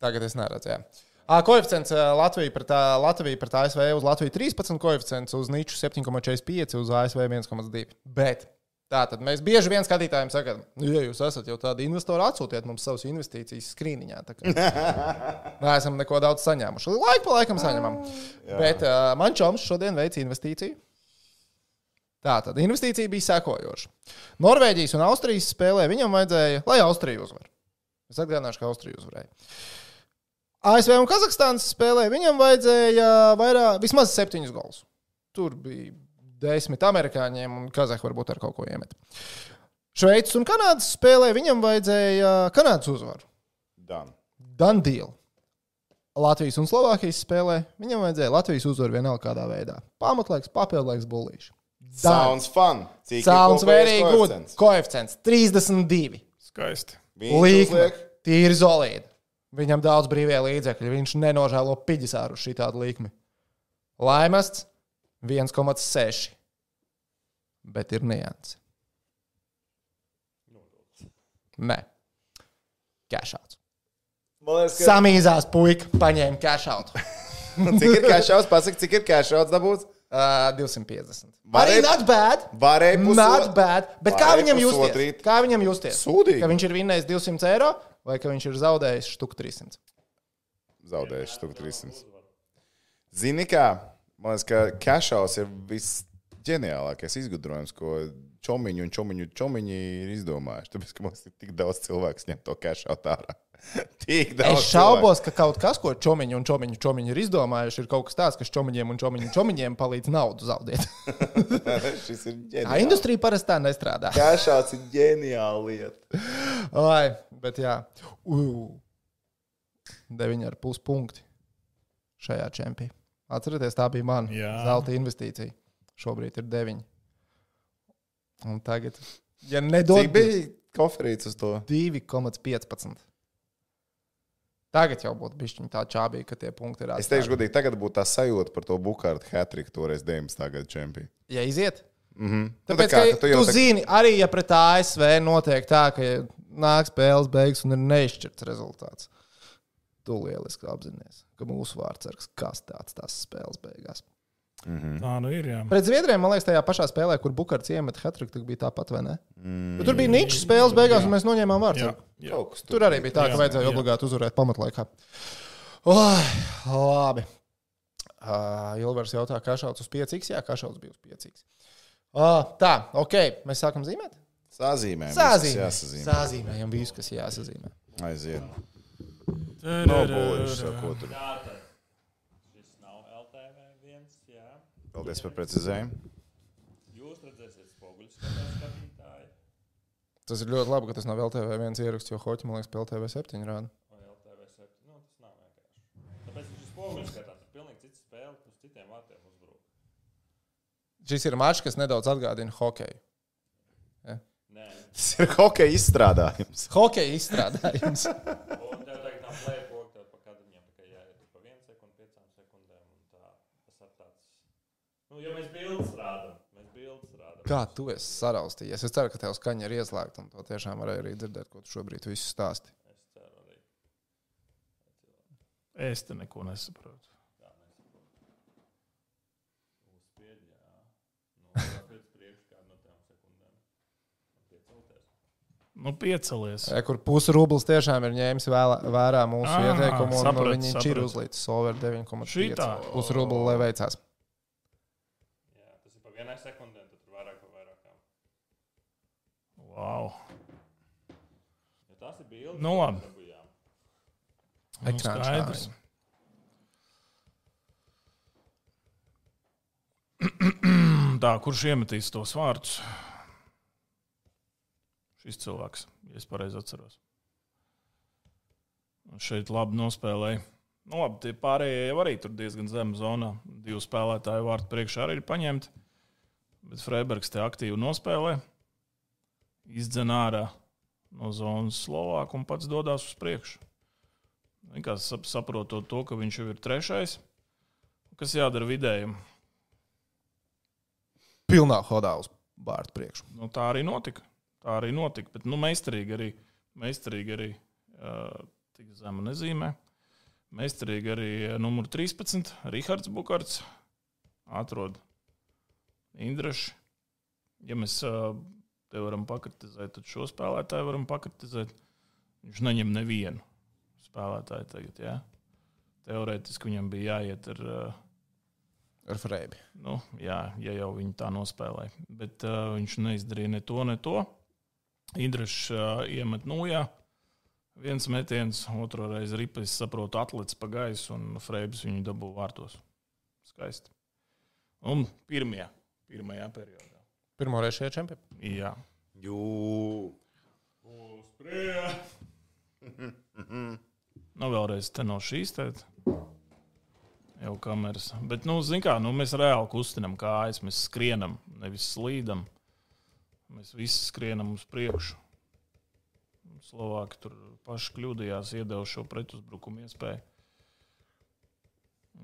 Tagad es neredzu, jā. À, koeficients Latvija pret, Latvija pret A S V uz Latviju trīspadsmit, koeficients uz Niču septiņi komats četrdesmit pieci, uz A S V viens komats divi. Bet tā tad mēs bieži vien skatītājiem sakām, ja jūs esat jau tādi investori, atsūtiet mums savus investīcijas skrīniņā. Neesam neko daudz saņēmuši. Laiku pa laikam saņemam. Bet uh, man čoms šodien veic investīciju. Tā tad investīcija bija sekojoša. Norvēģijas un Austrijas spēlē viņam vajadzēja, lai Austrija uzvar. Es atgādināšu, ka Austrija uzvarēja. A S V un Kazahstānas spēlē viņam vajadzēja vairāk, vismaz septiņus golus. Tur bija desmit amerikāņiem un Kazahi varbūt ar kaut ko iemet. Šveices un Kanādas spēlē viņam vajadzēja Kanādas uzvaru. Done. Done deal. Latvijas un Slovākijas spēlē viņam vajadzēja Latvijas uzvaru vienalga kādā veidā. Pamatlaiks, papildlaiks, bullīši. Sounds fun. Cik Sounds very good. Koeficients trīsdesmit divi. Skaisti. Līkme. Tīri solīdi. Viņam daudz brīvie līdzekļi. Viņš nenožēlo piģis āru uz šī tādu līkmi. Laimests viens komats seši. Bet ir nianses. Nē. Cashouts. Ka... Samīzās puika paņēma cashoutu. Cik ir cashouts? Pasaka, cik ir cashouts dabūts? Uh, divsimt piecdesmit. Varēja, Arī not bad. Varēja pusot... Not bad. Bet kā viņam justies? Pusotrīt. Kā viņam justies? Sūdīgi. Ka viņš ir vinnējis divsimt eiro vai ka viņš ir zaudējis štuku trīssimts? Zaudējis štuku trīssimts. Zini kā? Man liekas, ka cashouts ir visģeniālākais izgudrojums, ko čomiņu un čomiņu čomiņi ir izdomājuši. Tāpēc, ka mums ir tik daudz cilvēks ņem to cashout ārā. Tik daudz es šaubos, cilvēku. Ka kaut kas, ko čomiņu un čomiņu čomiņi ir izdomājuši, ir kaut kas tāds, kas čomiņiem un čomiņu čomiņiem palīdz naudu zaudēt. Šis ir ģeniāli. Tā industrija parasti tā nestrādā. Cashouts ir ģeniāla lieta. Ai, bet jā. Uh, deviņi ar pus punkti šajā čempī. Atcerieties, tā bija mana zelta investīcija. Šobrīd ir deviņi. Un tagad, ja nedod... Cik bija koferīts uz to? divi komats piecpadsmit. Tagad jau būtu bišķiņ tā čābīga, ka tie punkti ir atstāti. Es teikšu godīgi, tagad būtu tā sajūta par to Bukārtu hat-triku toreiz deviņdesmitā gada čempī. Ja iziet? Mm-hmm. Tāpēc, tā kā, ka ka tu, tu tā... zini, arī ja pret A S V notiek tā, ka nāk spēles beigas un ir neizšķirts rezultāts. Tu lieliski apzinies, ka mūsu vārdsargs kas tāds tās spēles beigās. Mm-hmm. Tā nu ir, jā. Pret Zviedriem, man liekas, tajā pašā spēlē, kur Bukarts iemet hat-triku, tad bija tāpat, vai ne? Mm. Tur bija ničs spēles beigās, jā. Un mēs noņēmām vārdsargu. Tur, tur arī bija tā, ka jā, vajadzēja jā. Obligāti uzvarēt pamatlaikā. Oh, labi. Uh, Ilvers jautā, kašauts uz pieci iks? Jā, kašauts bija uz pieci iks. Uh, tā, ok, mēs sākam zīmēt? Sazīmējam. Sazīmējam. Sazīmējam visu, kas jāsazīmē. Aiziet. Nobuļuši, ko tur. Paldies par precizējumu. Jūs redzēsiet spoguļus, skatītāji. Tas ir ļoti labi, ka tas nav L T V viens ieraksts, jo Hoķi, man liekas, L T V septiņi rāda. Vai L T V septiņi? Nu, tas nav vienkārši. Tāpēc šis spoguļus skatās, ir pilnīgi cits spēle, uz citiem vārtiem uzbrūk. Šis ir mačs, kas nedaudz atgādina hokeju. Ja? Nē. Tas ir hokeja izstrādājums. Hokeja izstrādājums. Un tev tagad nav plēpok, tev pa kādam jāpakaļ jāiet pa vienu sekundu, piecām sekundēm. Un tā, tas ir tāds... Nu, jo mēs bildes rādam, mēs bildes rādam. Kā tu esi saraustījies? Es ceru, ka tev skaņa ir ieslēgta un to tiešām varēja arī dzirdēt, ko tu šobrīd visu stāsti. Es ceru arī. Es te neko nesaprotu. Jā, nesaprotu. Uzspied, jā. Nu, pēc priekš kādu no tām sekundēm. Piecelties. Nu, piecelies. Ja, kur pusi rublis tiešām ir ņēmis vēlā, vērā mūsu Aha, ieteikumu un saprat, viņi saprat. ir uzlīdz over deviņi komats pieci. Šitā. Pusi rubli, lai veicās. Vienai sekundē, tad tur vairāk pa vairākām. Wow. Ja tās ir bildes, Nu, labi. dabujām. Ekrāns Skaidrs. šādi. Tā, kurš iemetīs tos vārdus? Šis cilvēks, ja es pareizi atceros. Šeit labi nospēlēja. Nu, labi, tie pārējie jau arī tur diezgan zem zonā. Divu spēlētāju vārtu priekšā arī ir paņemti. Bet Freibergs te aktīvi nospēlē. Izdzen ārā no zonas Slovāku un pats dodās uz priekšu. Vienkārši saprotot to, ka viņš jau ir trešais. Kas jādara vidējiem? Pilnā hodā uz vārtu priekšu. Nu, tā arī notika. Tā arī notika. Bet nu, meistarīgi arī, meistarīgi arī uh, tik zema nezīmē. Meistarīgi arī numur trīspadsmit, Rihards Bukarts, atrod Indraši. Ja mēs te varam pakritizēt, tad šo spēlētāju varam pakritizēt. Viņš neņem nevienu spēlētāju tagad, jā. Teorētiski viņam bija jāiet ar... Ar Freibi. Nu, jā, ja jau viņi tā nospēlēja. Bet uh, viņš neizdarīja ne to, ne to. Indrašs uh, iemet nujā. Viens metiens, otro reizi ripa, es saprotu, atlec pa gaisu, un Freibs viņu dabū vārtos. Skaisti. Un pirmajā, pirmajā periodā. Pirmo reizi šajā čempionā? Jā. Jū. Uz priekšu. Nu, vēlreiz te no šīs tēt. Jau kameras. Bet, nu, zin kā, nu, mēs reāli kustinam kājas, mēs skrienam, nevis slīdam. Mēs visi skrienam uz priekšu. Slovāki tur paši kļūdījās, iedeva šo pretuzbrukumu iespēju.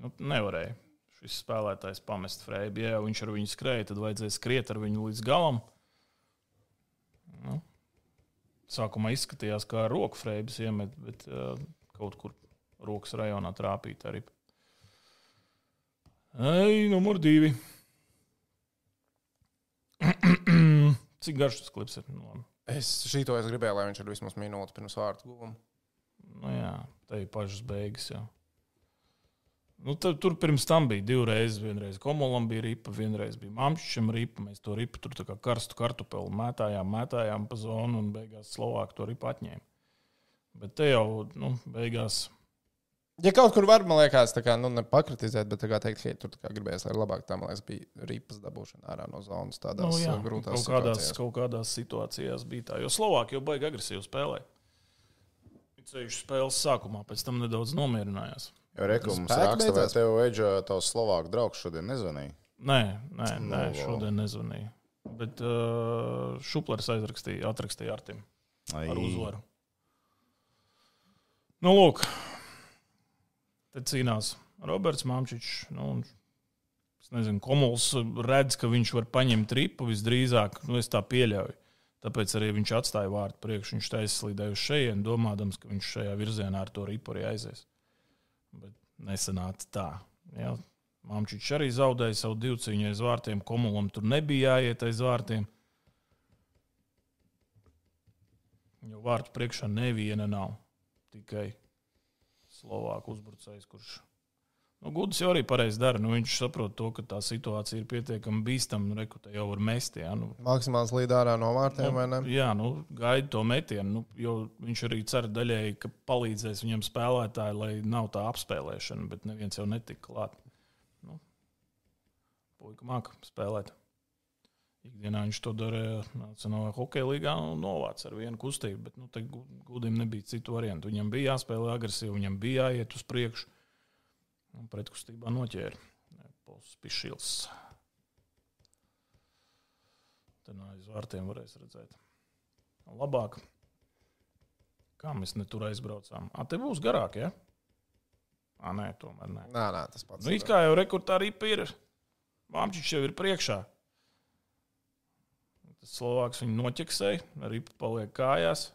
Nu, nevarēja šis spēlētājs pamest Freibi. Ja viņš ar viņu skrēja, tad vajadzēja skriet ar viņu līdz galam. Nu, sākumā izskatījās, kā ar roku Freibis iemet, bet uh, kaut kur rokas rajonā trāpīt arī. Ei, numur divi. Cik garš tas klips ir? Nu, Es šito es gribēju, lai viņš ir vismaz minūti pirms vārtu guvuma. Nu jā, te ir pašas beigas jau. Nu, tad, tur pirms tam bija divreiz. Vienreiz Komolam bija ripa, vienreiz bija Mamčičam ripa. Mēs to ripu tur tā kā karstu kartupeli mētājām, mētājām pa zonu un beigās Slovāki to ripu atņēma. Bet te jau, nu, beigās... Ja kaut kur var, man liekas, tā kā, nu, nepakritizēt, bet tā kā teikt, ka tur tā kā gribējās, lai labāk tā, man liekas, bija ripas dabūšana ārā no zonas tādās nu, jā, grūtās kaut kādās, situācijās. Kaut kādās situācijās bija tā, jo Slovāki jau baigi agresīvi spēlē. Ceļš spēles sākumā, pēc tam nedaudz nomierinājās. Jo rekums raksta, vai tev Eģa tavs Slovāku draugs šodien nezvanīja? Nē, nē, nē, šodien nezvanīja. Bet uh, Šuplers aizrakstīja, atrakstīja Artim Ai. Ar uzvaru. Nu, lūk. Te cīnās Roberts Mamčičs. Nu, es nezinu, Komuls redz, ka viņš var paņemt ripu visdrīzāk. Nu, es tā pieļauju. Tāpēc arī viņš atstāja vārtu priekš. Viņš taisslīdēja uz šejien, domādams, ka viņš šajā virzienā ar to ripu arī aizies. Bet nesanāca tā. Ja? Mamčičs arī zaudēja savu divcīņu aiz vārtiem. Komulam tur nebija jāiet aiz vārtiem. Jo vārtu priekšā neviena nav. Tikai Slovāku uzbrucējs, kurš... Nu, Gudis jau arī pareizi dara. Nu, viņš saprot to, ka tā situācija ir pietiekami bīstama. Reku, te jau var mest, jā. Nu, Maksimāls līd ārā no vārtiem, nu, vai ne? Jā, nu, gaida to metienu. Nu, jo viņš arī cer daļēji, ka palīdzēs viņam spēlētāji, lai nav tā apspēlēšana, bet neviens jau netika klāt. Nu, puika māka spēlēt. Ikdienā viņš to darīja Nacionālajā hokeja līgā un novāca ar vienu kustību, bet nu, te Gudim nebija citu variantu. Viņam bija jāspēlē agresīvi, viņam bija jāiet uz priekšu. Un pretkustībā noķēra. Pols Pišils. Te no aiz vārtiem varēs redzēt. Labāk. Kā mēs ne tur aizbraucām? Ā, te būs garāk, ja? Ā, nē, tomēr nē. Nā, nā, tas pats. Nu, it kā jau rekurtā ripa ir. Mamčičs jau ir priekšā. Tas Slovāks viņu noķeksēja, ripa paliek kājās.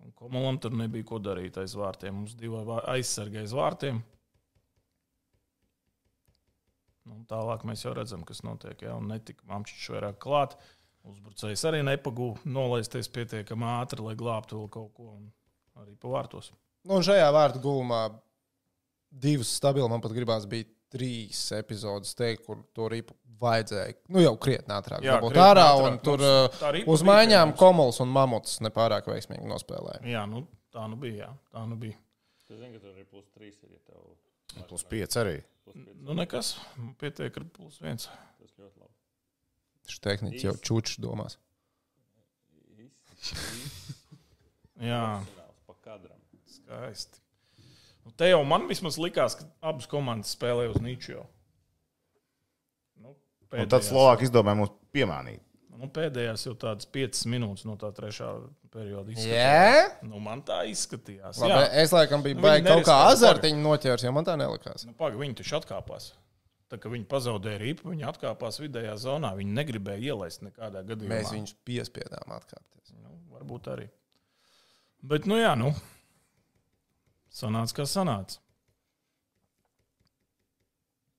Un Komulam tur nebija ko darīt aiz vārtiem. Mums divi aizsargi aiz vārtiem. Nu, tālāk mēs jau redzam, kas notiek. Ja? Un netika Mamčičs vairāk klāt. Uzbrucējs arī nepagūva nolaisties pietiekami ātri, lai glābtu vēl kaut ko. Un arī pa vārtos. Nu, un šajā vārtu gulumā divas stabili, man pat gribās bija trīs epizodes teikt, kur to ripu vajadzēja, nu jau krietni ātrāk dabūt ārā, un tur uz maiņām Komuls un Mamuts nepārāk veiksmīgi nospēlēja. Jā, nu tā nu bija, jā, tā nu bija. Tu zini, ka tur arī plus trīs ir, ja tev... Plus pieci arī. Nu, nekas. Pietiek ar plus viens. Tas ļoti labi. Šis tehniķis jau čučs domās. Jā. Pa kadram. Skaisti. Nu, te jau man vismaz likās, ka abas komandas spēlē uz niču jau. Nu, Un tad Slovāki izdomāja mums piemānīt. Nu, pēdējās jau tādas piecas minūtes no tā trešā perioda izskatījās. Jā? Nu, man tā izskatījās. Labi, Jā. es laikam biju Nu, baigi viņi kaut kā neriskēja, azartiņu noķērs, jo man tā nelikās. Nu, paga, viņi taču atkāpās. Tā kā viņi pazaudēja ripu, viņi atkāpās vidējā zonā. Viņi negribēja ielaist nekādā gadījumā. Mēs viņus piespiedām atkāpties. Nu, varbūt arī. Bet, nu jā, nu. Sanāca, kā sanāca.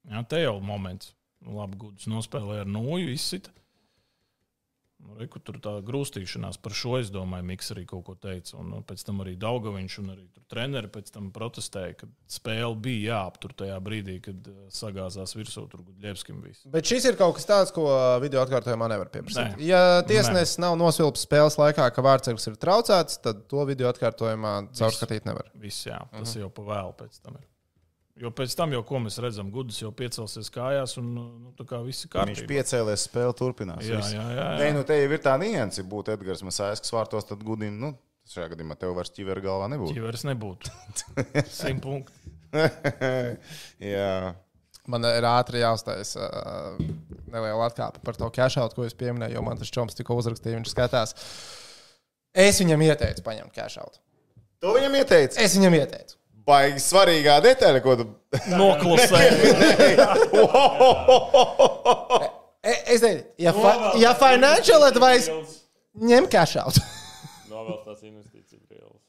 Jā, te jau moments. Nu, labi, Gudus nospēlēja ar nūju, izsita. Nu, reku, tur tā grūstīšanās par šo, es domāju, Miks arī kaut ko teica. Un, un pēc tam arī Daugaviņš un arī tur treneri pēc tam protestēja, ka spēle bija jāaptur tajā brīdī, kad uh, sagāzās virsū tur Gudļevskim viss. Bet šis ir kaut kas tāds, ko video atkārtojumā nevar pieprasīt. Nē. Ja tiesnesis nav nosvilpis spēles laikā, ka vārdsargs ir traucēts, tad to video atkārtojumā caurskatīt nevar. Viss, jā, tas uh-huh. jau pa vēlu pēc tam ir. Jo pēc tam jau, ko mēs redzam, Gudus jau piecelsies kājās un nu, tā kā viss ir kārtībā. Viņš piecēlies, spēle turpinās. Jā, viss. jā, jā, jā. Nē, nu te jau ir tā nianse, ja būtu Edgars Masājskis vārtos, tad Gudim, nu, šajā gadījumā tev vairs ķivera galvā nebūtu. Ķiveres nebūtu. Simt punkti. Jā. Man ir ātri jāuztais uh, neliela atkāpe par to cash-out, ko es pieminēju, jo man tas čoms tikko uzrakstīja, viņš skatās. Es viņam ieteicu paņemt cash-out. To viņam ieteici? Es viņam ieteicu. Baigi svarīgā detaļa, ko tu Noklusēji. Es teicu, ja, fa ja financial advice, ņem cash-out. Novēl tās investīcijas brīvas.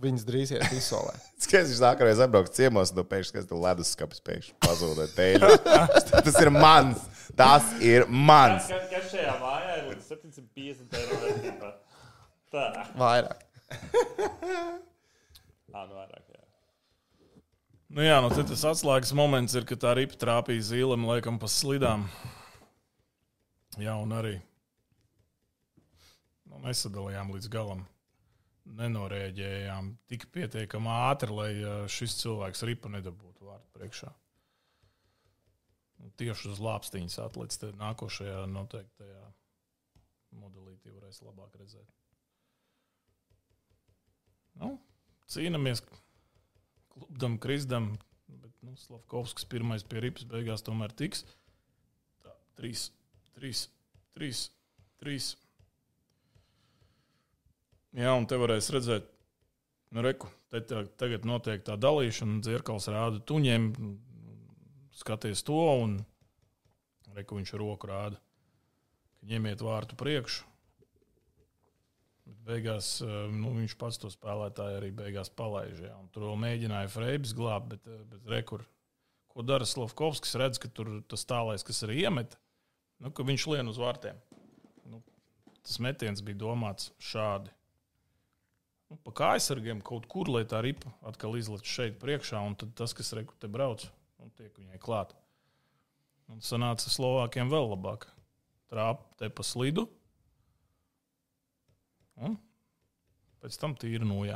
Viņas drīz iet izsolē. Skaties, viņš nākamreiz atbrauks ciemos, un tu pēkšņi skaties, tu leduskapis pēkšņi pazūdē teļu. Tas ir mans. Tas ir mans. Kas, kas šajā mājā ir līdz septiņsimt piecdesmit eiro vērtībā? Tā. Vairāk. Ā, nu vairāk, jā. Nu jā, nu te tas atslēgas moments ir, ka tā ripa trāpīja zīlem, laikam, pa slidām. Jā, un arī nu, nesadalījām līdz galam. Nenorēģējām tik pietiekami ātri, lai šis cilvēks ripa nedabūtu vārtu priekšā. Tieši uz lāpstiņas atlec te nākošajā noteiktajā modelītī varēs labāk redzēt. Nu, cīnamies, klubdam, krizdam, bet nu, Slavkovskis pirmais pie ripas beigās tomēr tiks. Tā, trīs, trīs, trīs, trīs. Jā, un te varēs redzēt, nu reku, te tagad notiek tā dalīšana, Dzirkals rāda tuņiem, skaties to, un reku viņš roku rāda, ka ņemiet vārtu priekšu. Bet beigās nu, viņš pats to spēlētāju arī beigās palaiž. Jā. Un tur vēl mēģināja Freibis glābt, bet, bet rekur, ko dara Slavkovskis, redz, ka tur tas tālais, kas arī iemet, nu, ka viņš lien uz vārtiem. Nu, tas metiens bija domāts šādi. Nu, pa kājsargiem kaut kur, lai tā ripa atkal izlec šeit priekšā, un tad tas, kas reku te brauc, un tiek viņai klāt. Un sanāca Slovākiem vēl labāk. Trāp te pa slidu. Un pēc tam tīri nojā.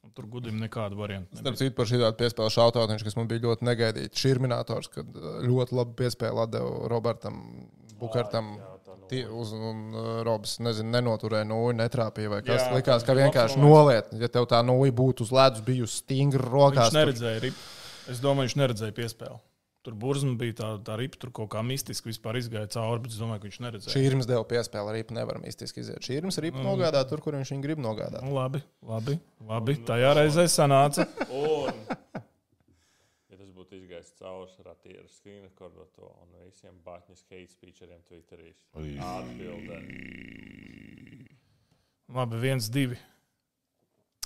Un tur Gudim nekāda varianta. Starp citu par šī tādu piespēlu šautautiņš, kas man bija ļoti negaidīts. Širminators, kad ļoti labi piespēli atdeva Robertam Bukartam. Tie, uz, un Robs, nezinu, nenoturēja nūju, netrāpīja vai kas. Jā, likās, ka vienkārši noliet. Ja tev tā nūja būtu uz ledus bijusi stingri rokās. Viņš neredzēja ripu. Es domāju, viņš neredzēja piespēli. Tur Burzma bija tā, tā ripa, tur kaut kā mistiski vispār izgāja cauri, bet es domāju, ka viņš neredzēja. Šīrms deva piespēli, ripa nevar mistiski iziet. Šīrms ripa mm. nogādā tur, kur viņš viņu grib nogādāt. Nu, labi, labi, labi. Tajā reizē sanāca. Un, ja tas būtu izgājis cauri ratieru screen recordot to un visiem Batņas hate speecheriem Twitterīs. Atbildē. Labi, viens, divi.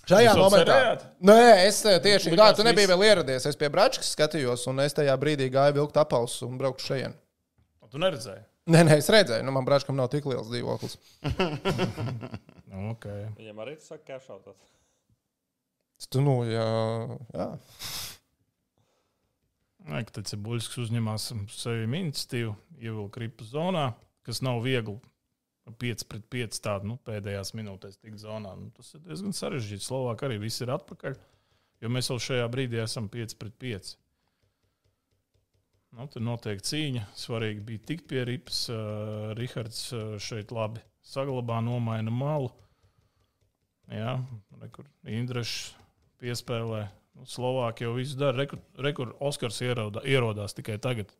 Šajā Jūs jau momentā. cerējāt? Nē, es tieši Likās kā tu nebija viss. vēl ieradies. Es pie Bračkas skatījos, un es tajā brīdī gāju vilkt apaus un braukšu šajien. Tu neredzēji? Nē, nē, es redzēju. Nu, man Bračkam nav tik liels dzīvoklis. Okay. Viņam arī tas saka cash-outot. Tu, nu, jā, jā. Nē, ka tad Cebuļskis uzņemās sevi iniciatīvu, ievilka ripu zonā, kas nav viegli. pieci pret pieci tādu nu, pēdējās minūtēs tik zonā. Nu, tas ir diezgan sarežģīts. Slovāki arī viss ir atpakaļ. Jo mēs vēl šajā brīdī esam pieci pret pieci. Nu, tur notiek cīņa. Svarīgi bija tikt pie ripas. Uh, Rihards uh, šeit labi saglabā, nomaina malu. Jā, rekur Indrašs piespēlē. Nu, Slovāki jau visu dara. Rekur, rekur Oskars ierodā, ierodās tikai tagad.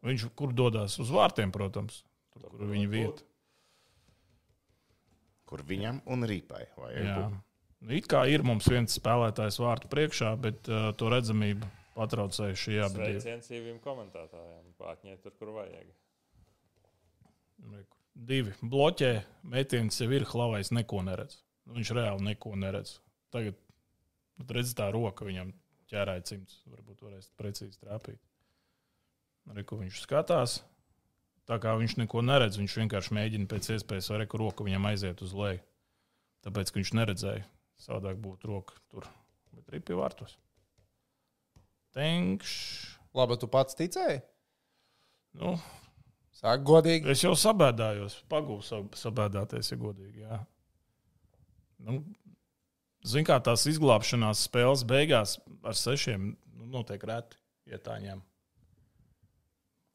Viņš kur dodās? Uz vārtiem, protams. Tur, kur viņa vieta. Kur viņam un ripai vajag Jā. būt. Nu, it kā ir mums viens spēlētājs vārtu priekšā, bet uh, to redzamību patraucēja šī abi. Sveiciens īviem komentētājiem. Pāķņiet tur, kur vajag. Divi. Bloķē, metiens jau ir, Hlavais neko neredz. Viņš reāli neko neredz. Tagad, redz tā roka viņam ķērāja cimds. Varbūt varēs precīzi trāpīt. Arī, ko viņš skatās. Tā kā viņš neko neredz, viņš vienkārši mēģina pēc iespējas, vai reku roka viņam aiziet uz leju. Tāpēc, ka viņš neredzēja. Savādāk būtu roka tur. Bet arī pie vārtos. Tenkš. Labi, tu pats ticēji? Nu, Sāk godīgi. es jau sabēdājos. Pagūvu sab- sabēdāties, ja godīgi, jā. Nu, zin kā tās izglābšanās spēles beigās ar sešiem nu, notiek reti ietāņiem.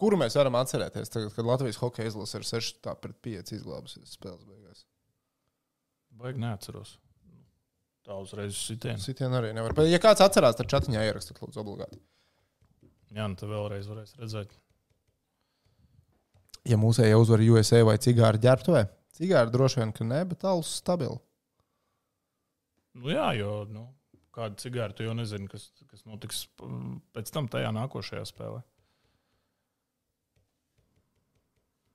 Kuru mēs varam atcerēties tagad, kad Latvijas hokeja izlase ir seši pret pieci izglābusies spēles beigās? Baigi neatceros. Tā uzreiz uz sitienu. Sitien arī nevar. Bet, ja kāds atcerās, tad čatiņā ierakstīt, lūdzu, obligāti. Jā, nu te vēlreiz varēs redzēt. Ja mūsēja uzvar U S A vai cigāri ģērbtuvē? Cigāri droši vien, ka ne, bet alus stabili. Nu jā, jo nu, kādu cigāru tu jau nezini, kas, kas notiks mm, pēc tam tajā nākošajā spēlē.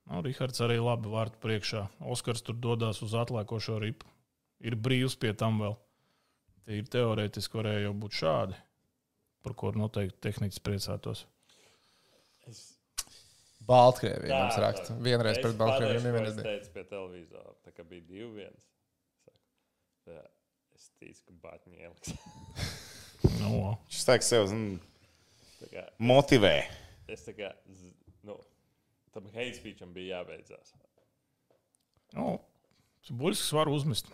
Nu, Rihards arī labi vārtu priekšā. Oskars tur dodās uz atlēkošo ripu. Ir brīvs pie tam vēl. Tie ir teorētiski varēja jau būt šādi, par ko noteikti tehniķis priecātos. Es, Baltkrievija Tā, mums tā. raksta. Vienreiz es pret Baltkrieviju pateikšu, ko nevienreiz es bija. teicu pie televizora. Tā kā bija divi viens. Jā, es ticu, ka Bāķņi ieliks. Nu, Šis teiks sev zin, Tā kā, motivē. es tā kā, z- nu, tam hate speecham bija jābeidzās. nu, Buļskis var uzmest.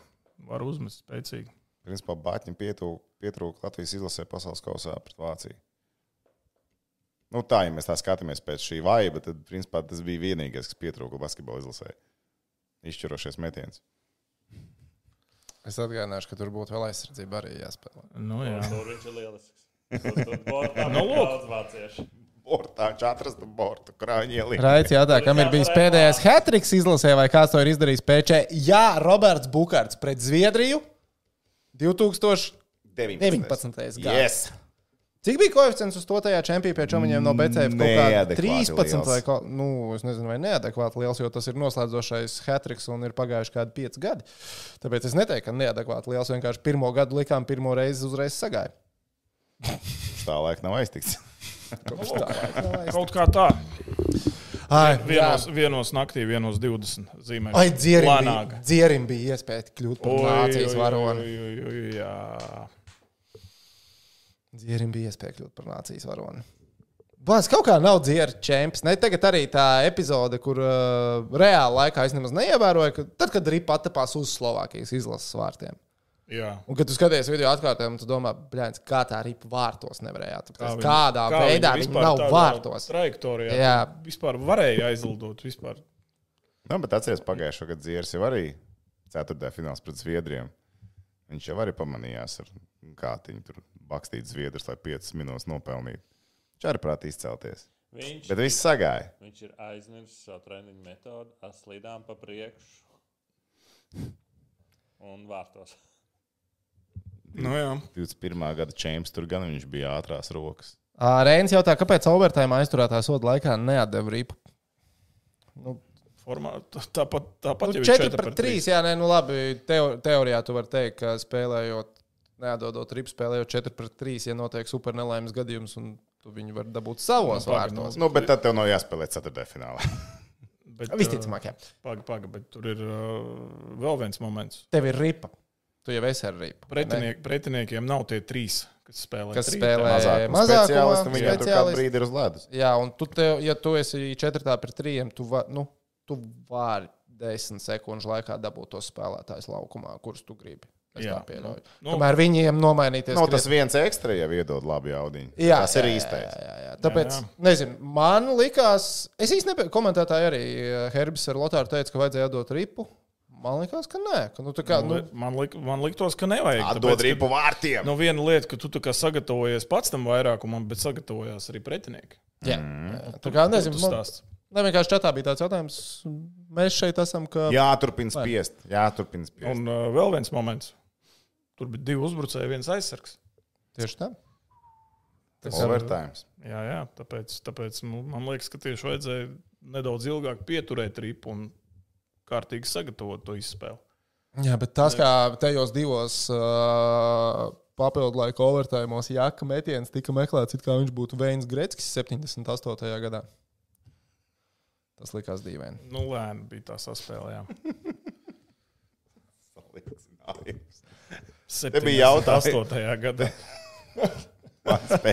Var uzmest spēcīgi. Principā Bāķim pietrūka Latvijas izlasē pasaules kausā pret Vāciju. Nu tā, ja mēs tā skatāmies pēc šī vaiba, tad principā tas bija vienīgais, kas pietrūka basketbola izlasē. Izšķirošies metiens. Es atgādināšu, ka tur būtu vēl aizsardzība arī jāspēlē. Nu, jā. Tur viņš ir lielisks. Tur, tur bortā Nu, bija lūk. daudz vācieši. Bortā, četras bortu, krāņi ielīja. Raids jautā, kam ir bijis pēdējais hat-triks izlasē, vai kāds to ir izdarījis P Č? Jā, Roberts Bukārts pret Zviedriju divtūkstoš deviņpadsmitais gads. Yes! Cik bija koeficients uz to tajā čempionā, viņiem no B C F kaut kāda Neadekvāti trīspadsmit liels. vai ko? Nu, es nezinu, vai neadekvāti liels, jo tas ir noslēdzošais hat-triks un ir pagājuši kādi pieci gadi. Tāpēc es neteiktu, ka neadekvāti liels, vienkārši pirmo gadu likām pirmo reizi uzreiz sagāja. Tā laika nav aiztikts. Kopš tā laika nav aizstāvs. Kaut kā tā. Ai, Vienos, jā. vienos naktī, vienos divdesmit zīmēs. Ai, dzierim bija, Lēnāk. dzierim bija iespēja kļūt par nācijas Oi, oi, varoni. oi, oi, oi, jā. Dzierim bija iespēja kļūt par nācijas varoni. Bāz, kaut kā nav dzieri čempions. Ne, tagad arī tā epizode, kur uh, reāli laikā es nemaz neievēroju, ka tad, kad Ripa attapās uz Slovākijas izlases vārtiem. jā. Un, kad tu skaties video atkārtojumu, tu domā, bļēns, kā tā Ripa vārtos nevarēja attapties. viņa- Kādā kā veidā viņa viņa vispār nav tādā vārtos. Trajektorijā. Jā. Vispār varēja aizlidot. Vispār. Nu, bet atceries pagājušo gadu Dzieris jau arī ceturtajā fināls pret Zviedriem. Viņš jau arī pamanījās ar kātiņu tur bakstīt Zviedrus, lai piecas minūtes nopelnītu. Viņš arī prāt izcelties. Viņš, Bet viss sagāja. viņš ir aizmirsis savu treniņu metodu, aslidām pa priekšu un vārtos. Nu, jā. divdesmit pirmā gada čempions tur gan viņš bija ātrās rokas. Ā, Reinis jautā, kāpēc overtime aizturētā soda laikā neatdeva Ripu? Nu, Formā, tā- tāpat, tāpat Nu, jau ir četri pret trīs, jā, nē, nu labi, teo, teorijā tu vari teikt, ka spēlējot, neatdodot ripu, spēlējot četri pret trīs, ja notiek super nelaimes gadījums, un tu viņu vari dabūt savos Nu, pagaid, vārtos. Nu, bet tad tev nav jāspēlē ceturtajā finālā. Bet, Visticamāk, jā. Paga, paga, bet tur ir uh, vēl viens moments. Tev ir ripa. Tu jau esi ar ripu. Pretiniek, pretiniekiem nav tie trīs, kas spēlē. Kas trīs. spēlē Mazāk mazākumā, speciālisti, viņiem tur kādu speciālisti. brīdi ir uz ledus. Jā, un tu, tev, ja tu esi četrtā pret trījiem, tu, va, nu, tu vari desmit sekundžu laikā dabūt tos spēlētājus laukumā, kurus tu gribi. Es Jā. tā pieļauju. Nu, Kamēr viņiem nomainīties. No, tas viens ekstra jau iedod labu jaudiņu. Jā, tas ir jā, īstais. Jā, jā, jā. Tāpēc, Jā, jā. nezinu, man likās, es īsti nepie... komentētāji arī Herbis ar Lotāru teica, ka vajadzēja dot ripu. Man likās, ka nē. Ka, nu, kā, nu... Man, lik, man liktos, ka nevajag. Atdod ripu vārtiem. Nu, viena lieta, ka tu tā kā sagatavojies pats tam vairākumam, bet sagatavojās arī pretinieki. Jā, jā. Tā kā nezinu, man... Ne, vienkārši čatā bija tāds jautājums. Mēs šeit esam, ka... Jāturpina spiest. Jāturpina spiest. Un uh, vēl viens moments. Tur bija divi uzbrucēji, viens aizsargs. Tieši tā. Tas ir overtime. Jā, jā, tāpēc, tāpēc man liekas, ka tieši vajadzēja nedaudz ilgāk pieturēt ripu un kārtīgi sagatavot to izspēli. Jā, bet tas, kā tajos divos uh, papildu laika overtājumos Jaka metiens tika meklēts, it kā viņš būtu Veins Greckis septiņdesmit astotajā gadā. Tas likās dīvaini. Nu, lēni bija tā saspēle, jā. Te bija jautājums. astotajā gadā.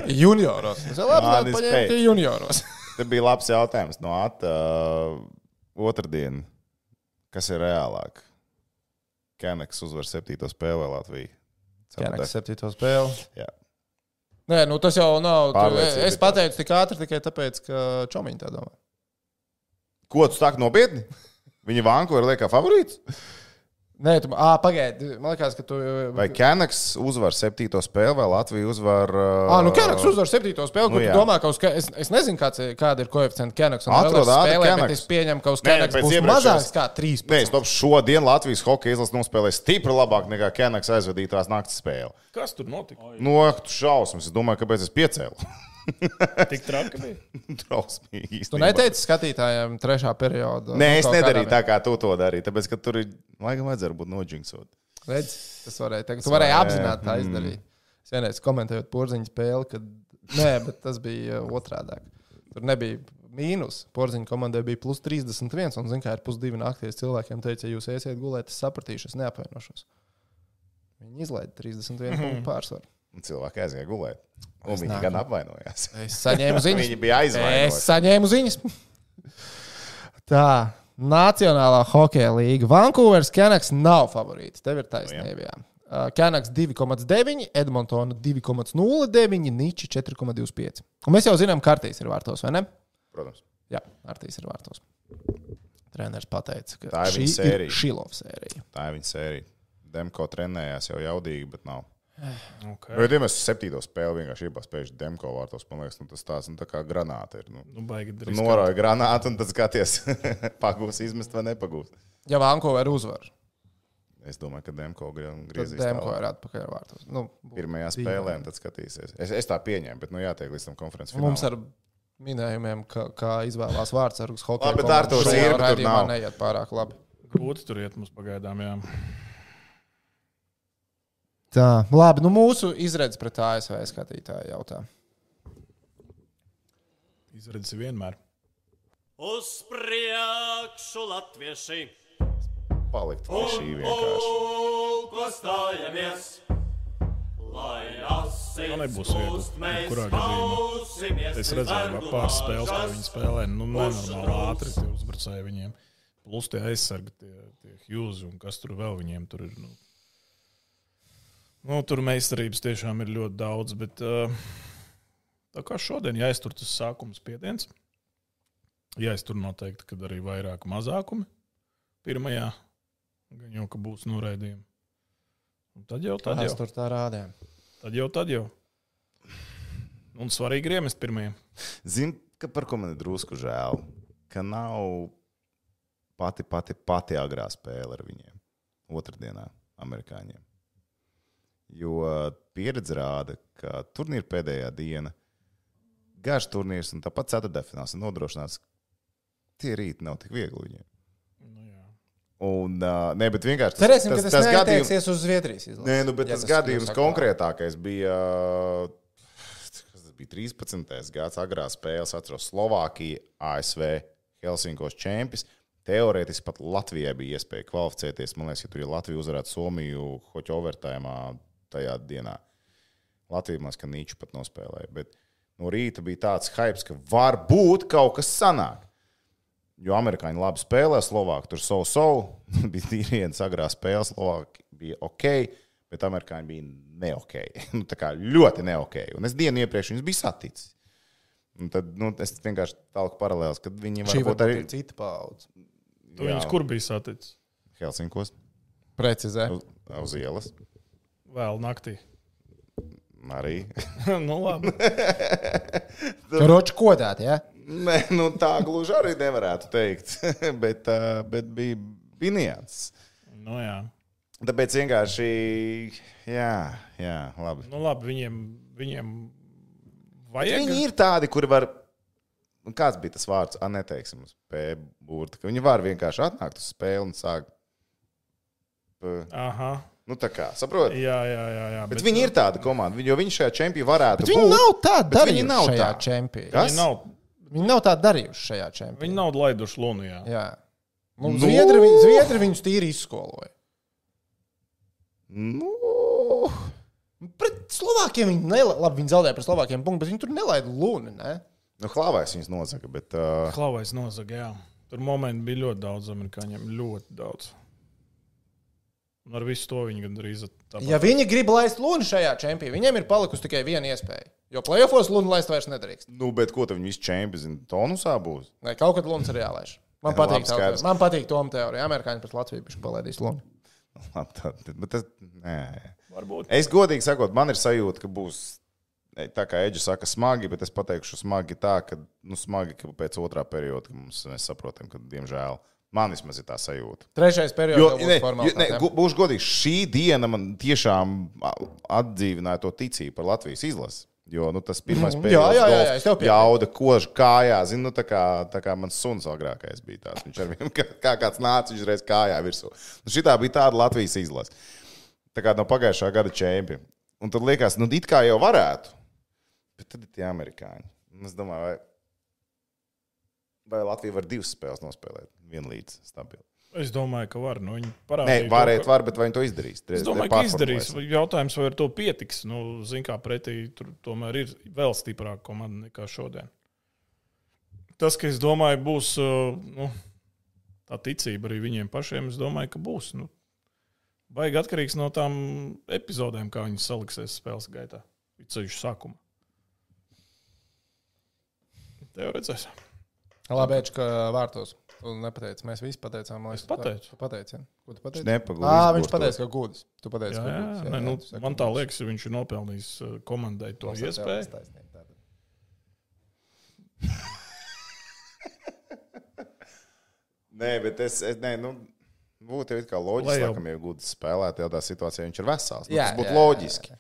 Junioros. Es vēl apzināju, paņēmu junioros. Te bija labs jautājums no Ata. Uh, otrdien. Kas ir reālāk? Keneks uzvar septīto spēli vai Latvija? Keneks septīto spēli. Jā. Nē, nu tas jau nav. Pārliecība Es pateicu tik ātri tikai tāpēc, ka Čomiņi tā domā. Ko tu stāki nopietni? Viņa Vankūver liek kā favorīts? Nē, tu, ā, pagaidi. Man liekas, ka tu... Vai Keneks uzvar septīto spēli, vai Latvija uzvar... Uh... Ā, nu Keneks uzvar septīto spēli, Nu, ko jā. tu domā, ka uz... Es, es nezinu, kāds, kāda ir koeficienta Keneks un Atrod Oilers ātri spēlē, bet Keneks. es pieņemu, ka uz Nē, Keneks pēc būs iepriekšējās- mazāks kā trīspadsmit. Nē, stop, šodien Latvijas hokeja izlase nospēlēja stipri labāk nekā Keneks aizvadītās naktas spēle. Kas tur notika? Nu, ak, tu šausmas. Es domāju, kāpēc es piecēlu. Tik traki bija. Drausmīgi Tu īstenībā. neteici skatītājiem trešā perioda? Nē, nu, es kaut nedarīju kādā tā, kā tu to darīji. Tāpēc, ka tur ir, laikam, vajadzētu būt noģinksot. Redz, tas varēja teikt. Tu varēji varēja, apzināti tā mm. izdarīt. Es vienreiz komentējot Porziņu spēli, kad... Nē, bet tas bija otrādāk. Tur nebija mīnus. Porziņu komandai bija plus trīsdesmit viens, un, zin kā, ir pusdivi nakties cilvēkiem teica, ja jūs iesiet gulēt, es sapratīšu, es neapvainošos. Viņi izlaida trīsdesmit vienu punktu pārsvaru. Un cilvēki aizgāja gulēt. Un Es viņi nāku. gan apvainojās. Es saņēmu ziņas. Viņi bija aizvainoti. Es saņēmu ziņas. Tā, Nacionālā hokeja līga. Vankūveras Keneks nav favorīts. Tev ir taisnība. Jā. Uh, Keneks divi komats deviņi, Edmontona divi komats nulle deviņi, Niči četri komats divdesmit pieci. Un mēs jau zinām, ka Artīs ir vārtos, vai ne? Protams. Jā, Artīs ir vārtos. Treneris pateica, ka Tā ir šī viņa sērija. ir Šilova sērija. Tā ir viņa sērija. Demko trenējās jau jaudīgi, bet nav. Okay. Vai ja mēs septīto spēli vienkārši iepaspējuši Demko vārtos, man liekas, nu, tas tāds nu, tā kā granāta ir. Nu. Nu, baigi Tu drīz. norauj granātu un tad skaties, pagūs izmest vai nepagūs. Ja Vankūver uzvar, Es domāju, ka Demko grie- tad griezīs Demko tālāk. ir atpakaļ vārtos. Nu, Pirmajā spēlē un tad skatīsies. Es, es tā pieņēmu, bet nu jātiek līdz tam konferences finālam. Mums ar minējumiem, ka, kā izvēlās vārdsargus hokeja Labi, bet Arturs komandas šajā ir, bet tur raidījumā nav. neiet pārāk labi. Grūti tur iet mums pagaidām, jā. Tā, labi, nu mūsu izredzes pret A S V skatītāju jautā. Izredzes vienmēr. Uz priekšu latvieši, Palikt pie šī vienkārši. ko stājamies, lai asins Nu, nebūs viegli, plūst, mēs jebkurā gadījumā. kausimies Es pret redzēju, vergu ka pāris spēles, kā valkas. viņi spēlē, nu, nenormāli ātri tie uzbrucēji viņiem. Plus tie aizsargi, tie, tie Hughes un kas tur vēl viņiem tur ir. Nu, nu tur meistarības tiešām ir ļoti daudz, bet uh, tā kā šodien jāiztur tas sākums spiediens. Jāiztur noteikti, kad arī vairāk mazākumi pirmajā. Gan jau, ka būs noraidījumi. Un tad jau, tad Tas jau. tur tā rādījām. Tad jau, tad jau. Un svarīgi ir iemest pirmajiem. Zini, ka par ko man ir drusku žēl, ka nav pati, pati, pati agrā spēle ar viņiem. Otrdienā, amerikāņiem. Jo pieredze rāda, ka turnīra pēdējā diena, garš turnīrs un tāpat ceturtdaļfināls ir nodrošināts. Tie rīti nav tik viegli viņiem. Nu, jā. Un, uh, ne, bet vienkārši tas, Cerēsim, ka tas gadījums- neattieksies uz Zviedrijas izlasi. Nē, nu, bet Ja tas tas gadījums kļūs konkrētākais bija, kas tas bija trīspadsmitais gads, agrā spēles, atceros Slovākija, A S V, Helsinkos čempions. Teorētiski pat Latvijai bija iespēja kvalificēties. Man liekas, ka tur ir Latvija uzvarētu Somiju hoķu overtājumā tajā dienā. Latvija maz, ka Nīču pat nospēlēja. Bet no rīta bija tāds hypes, ka varbūt kaut kas sanāk. Jo amerikāņi labi spēlē, Slovāki tur savu savu. Bija tīrienas agrā spēle, Slovāki bija ok. Bet amerikāņi bija ne-ok. Nu, tā kā ļoti ne-ok. Un es dienu iepriekš viņus biju saticis. Un tad nu, es vienkārši tālāk paralēlis, kad viņi Šī varbūt arī... cita paudze. Tu viņus kur bija saticis? Helsinkos. Precizē. Uz, uz ielas. Vēl naktī. Arī. Nu, labi. Roči kodēti, ja? Nē, nu tā gluži arī nevarētu teikt. bet, uh, bet bija, bija nianses. Nu, jā. Tāpēc vienkārši, jā, jā, labi. Nu, labi, viņiem, viņiem vajag. Viņi ir tādi, kuri var, kāds bija tas vārds, a, neteiksim uz P burta, ka viņi var vienkārši atnākt uz spēli un sākt. P. Aha. Nu tā kā, saprot? Jā, jā, jā. jā Bet, bet viņi ir tāda komanda, jo viņi šajā čempionā varētu Bet būt. viņi nav tādi bet viņi darījuši nav šajā tā. čempionā. Kas? Viņi nav, Viņi nav tādi darījuši šajā čempionā. viņi nav laiduši lunu, jā. Jā. Nu, Nu. Zviedri, viņ- Zviedri viņus tīri izskoloja. Nu, Pret Slovākiem viņi nelaida. Labi, viņi zaudēja pret Slovākiem punktu, bet viņi tur nelaida luni, ne? nu Hlavais viņus nozaga, bet... Uh, Klavais nozaga, jā. Tur momenti bija ļoti daudz amerikāņiem. Ļoti daudz. Un ar visu to viņi gandrīz tāpat. Ja viņi grib laist luni šajā čempionā, viņiem ir palikusi tikai viena iespēja. Jo playoffos luni laist vairs nedrīkst. nu, bet ko tad viņi visi čempioni tonusā būs? Nē, kaut kad lunas ir jālaiž. Man Jā, patīk, labi, tā teorija. skaidrs. Man patīk Toma teorija. Amerikāņi pret Latviju bišķi palaidīs luni. Labi, tā, bet tas... Nē. Varbūt. Es godīgi sakot, man ir sajūta, ka būs, tā kā Eģis saka, smagi, bet es pateikšu smagi tā, ka, nu, smagi, ka pēc otrā perioda, ka mums, mēs saprotam, ka, diemžēl, man vismaz ir tā sajūta. Trešais periods Jo, jau ne, būs jo, formāls. ne, gu- būšu godīgs, šī diena man tiešām atdzīvināja to ticību par Latvijas izlasi. Jo, nu, tas pirmais Mhm. periods, Jā, jā, jā, jā, es tev piekrītu. jauda, kož kājā, zinu, nu, tā kā, tā kā mans suns agrākais bija tāds. Viņš ar viņu, kā, kā kāds nāca, viņš reiz kājā virsū. Nu, šitā bija tāda Latvijas izlase. Tā kā no pagājušā gada čempioni. Un tad liekas, nu, it kā jau varētu. Bet tad ir tie amerikāņi. Un es domāju, vai, vai Latvija var divas spēles nospēlēt vienlīdz stabili. Es domāju, ka var. Nu, viņi Nē, parādīja to, varēt, ka- var, bet vai viņi to izdarīs? Es domāju, ka izdarīs. Jautājums, vai ar to pietiks. Nu, zin kā pretī, tur tomēr ir vēl stiprāka komanda nekā šodien. Tas, ka es domāju, būs uh, nu, tā ticība arī viņiem pašiem, es domāju, ka būs. Nu, baigi atkarīgs no tām epizodēm, kā viņas saliksies spēles gaitā. Ceļš sākuma. Tev redzēs. Labi, Eģis, ka vārtos. Tu nepateici, mēs visi pateicām. Es pateicu. Tu pateici, ja? Ko tu pateici? Nepagūst. Ā, viņš pateica, ka gudrs. Tu pateici, Jā, ka jā, gudrs. jā, nu, tu saki, man tā gudrs. liekas, ka viņš ir nopelnījis uh, komandai to Mums ar tev iespēju. taisnība, tātad. Nē, bet es, es nē, nu, būtu jau it kā Lai loģiski, jau- laikam, ja gudrs spēlēt, tādā situācijā viņš ir vesels. Nu, Jā, tas būtu jā, jā, loģiski.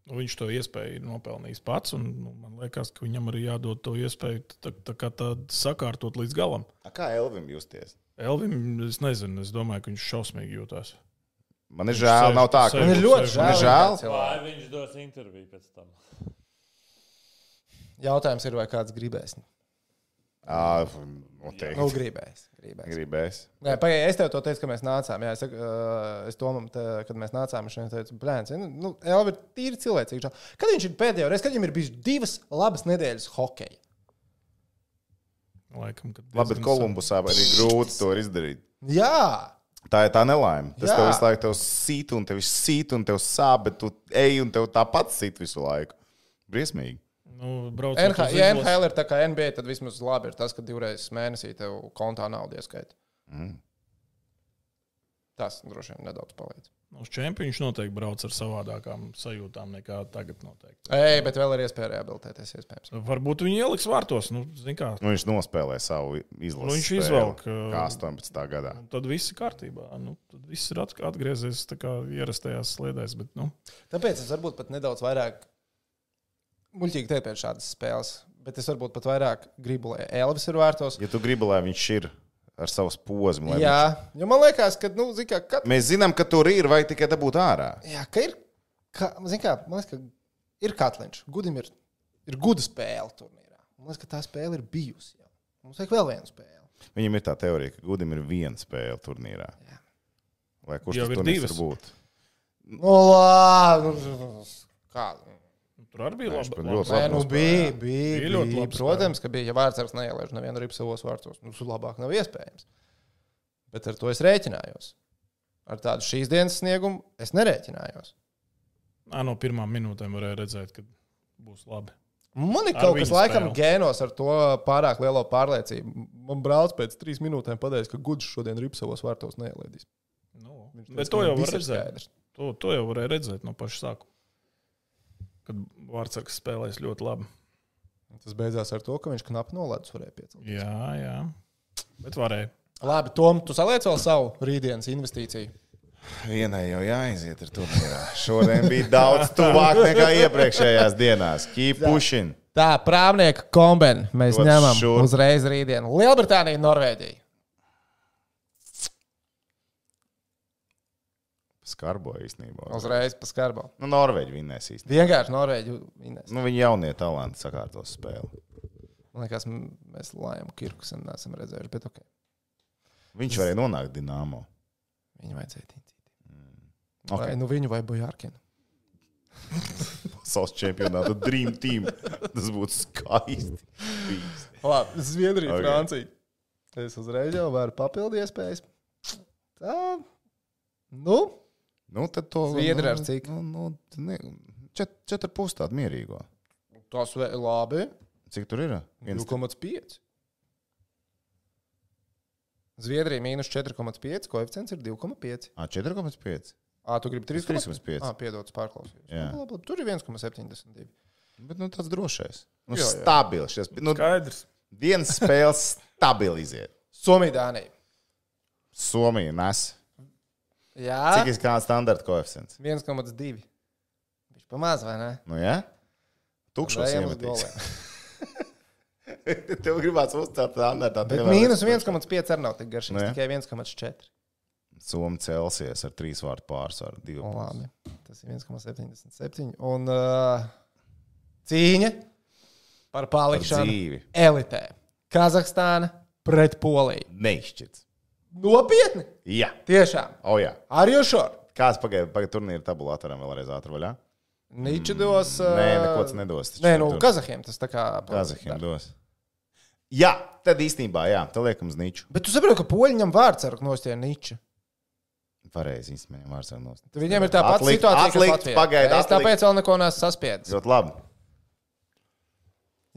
Nu, viņš to iespēju ir nopelnījis pats, un nu, man liekas, ka viņam arī jādod to iespēju tā, tā kā tādu sakārtot līdz galam. A, kā Elvim justies? Elvim, es nezinu, es domāju, ka viņš šausmīgi jūtās. Man ir žēl, sēž- nav tā, ka sēž- Man ir ļoti Man žēl. ir žēl. ka cilvēki- Vai viņš dos interviju pēc tam? Jautājums ir, vai kāds gribēs. Ā, Nu, noteikti. gribēs. gribēs. Gribēs. Nē, pagaidi, es tev to teicu, ka mēs nācām. Jā, es, saku, uh, es domāju, te, kad mēs nācām, viņš teica, blēns, nu, Elvi ir tīri cilvēcīgi. žēl. Kad viņš ir pēdējo reizi, kad viņam ir bijušas divas labas nedēļas hokeja? Laikam, kad Labi, bet diezgan Kolumbusā arī grūti to izdarīt. Jā, Tā ir tā nelaime. Tas Jā. tev visu laiku tev sīt, un tev sīt, un tev sāp, bet tu ej, un tev tāpat sīt visu laiku. Briesmīgi. Nu, braucot N uz H L, ja izlasi- N H L ir tā kā N B A, tad vismaz labi ir tas, ka divreiz mēnesī tev kontā naudu ieskaita. Mm. Tas droši vien nedaudz palīdz. Uz čempionu viņš noteikti brauc ar savādākām sajūtām nekā tagad noteikti. Ei, bet vēl ir iespēja rehabilitēties, iespējams. Varbūt viņi ieliks vārtos, nu, zin kā. Nu, viņš nospēlēja savu izlasi. Nu, viņš spēli, izvelk, kā astoņpadsmitā gadā. Un tad viss ir kārtībā. Nu, tad viss ir at- atgriezies tā kā ierastajās sliedēs, bet, nu, Tāpēc es varbūt pat nedaudz vairāk muļķīgi teikt pēc šādas spēles, bet es varbūt pat vairāk gribu, lai Elvis ir vārtos. Ja tu gribi, lai viņš ir ar savu posmu, lai Jā, jo man liekas, ka, nu, zin kā, kad, viņš... mēs zinām, ka tur ir, vai tikai dabūt ārā. jā, ka ir, ka, zin kā, man liekas, ka ir Katliņš, Gudim ir, ir guda spēle turnīrā. Man liekas, ka tā spēle ir bijusi jau. Mums vajag vēl vienu spēli. Viņam ir tā teorija, ka Gudim ir viena spēle turnīrā. Jā. Lai kurš Jau tas ir turnīrs divas. var būt. Nu, labi. Kā? tur arī bija Nē, viņš labi. pat ļoti Nē, labi nu nospēlēja. bija, bija, Bija ļoti bija. labi Protams, ka bija. Ja vārdsargs neielaiž nevienu ripu savos vārtos, nu, labāk nav iespējams. Bet ar to es rēķinājos. ar tādu šīs dienas sniegumu es nerēķinājos. Nā, no pirmām minūtēm varēja redzēt, ka būs labi. Man ir Ar kaut kas viņu laikam spēli. gēnos ar to pārāk lielo pārliecību. Man brālis pēc trīs minūtēm pateica, ka Gudžs šodien rip savos vārtos neielēdīs. Nu, Viņš bet teica, to ka jau viss var ir redzēt. skaidrs. To, to jau varēja redzēt no paša sākuma. Kad Vārtsargs spēlēs ļoti labi. Tas beidzās ar to, ka viņš knapi noledus varēja piecelt. Jā, jā. Bet varēja. Labi, Tom, tu saliec vēl savu rītdienas investīciju. Vienai jau jāiziet ar turnīrā. Šodien bija daudz tuvāk nekā iepriekšējās dienās. Keep pushing. Tā, prāvnieka kombini mēs Dod ņemam šurp. uzreiz rītdienu. Lielbritānija, Norvēģija. Skarbo īstenībā. Uzreiz pa skarbo. Nu, Norvēģi vinnēs īstenībā. Vienkārši Norvēģi vinnēs. Nu, viņi jaunie talanti sakārtos spēli. Man liekas, m- mēs Lājam Kirku sen neesam redzējuši, bet ok. Viņš varēja nonākt Dinamo. Viņu vajadzēja tīcīt. Ok. Vai nu viņu vai Bojārkinu. Pasaules čempionāta Dream Team. Tas būtu skaisti. Labi, Zviedrija, Ok. okay. Francija. Es uzreiz jau varu papildu iespējas. Tā, nu, Nu, tad to... Zviedri nu, ar cik? Nu, nu, ne, čet, četri pus tādu mierīgo. tas vēl labi. Cik tur ir? Viens... divi komats pieci. Zviedrija mīnus četri komats pieci, koeficients ir divi komats pieci. Ā, četri komats pieci. Ā, tu gribi trīs trīs komats pieci. Ā, piedodas pārklausījos. Jā. Nu, labi, labi, tur ir viens komats septiņdesmit divi. Bet, nu, tāds drošais. Nu, Jā, jā. stabils. Šies, nu, Skaidrs. dienas spēles stabilizēt. Somija, Dānija. Somija nes. Jā, Cik ir kāds standarta koeficients? viens komats divi. Viņš pamaz, vai ne? Nu, jā? Tukšos Ejam uz iemetīs. goliem. Tev gribās uzcelt standartā. Bet mīnus viens komats pieci arī nav tik garšīgs, Nu, jā. tikai viens komats četri. Somi celsies ar trīs vārtu pārsvaru. Divu. O, labi. Tas ir viens komats septiņdesmit septiņi. Un uh, cīņa par Par palikšanu dzīvi. elitē. Kazahstāna pret Poliju. Neizšķirts. Nopietni! Jā. Tiešām. O, jā. Are you sure? Kāds pagaida, pagaida turnīra tabulātoram vēlreiz ātri vaļā? Niču dos. Uh, Nē, neko tas nedos. taču Nē, nu, tur- Kazahiem tas tā kā. Kazahiem dos. Jā, tad īstenībā, jā, tad liekam uz niču. Bet tu saproti, ka poļi ņem vārdsargu nostie niču. Pareizi, īstenībā, viņam vārds ar nost. Tad viņiem ir tā pati Atlikt- situācija, atlikt, kas Latvijā. pagaidi, Es atlikt. tāpēc vēl neko neesmu saspiedis. Ļoti labi.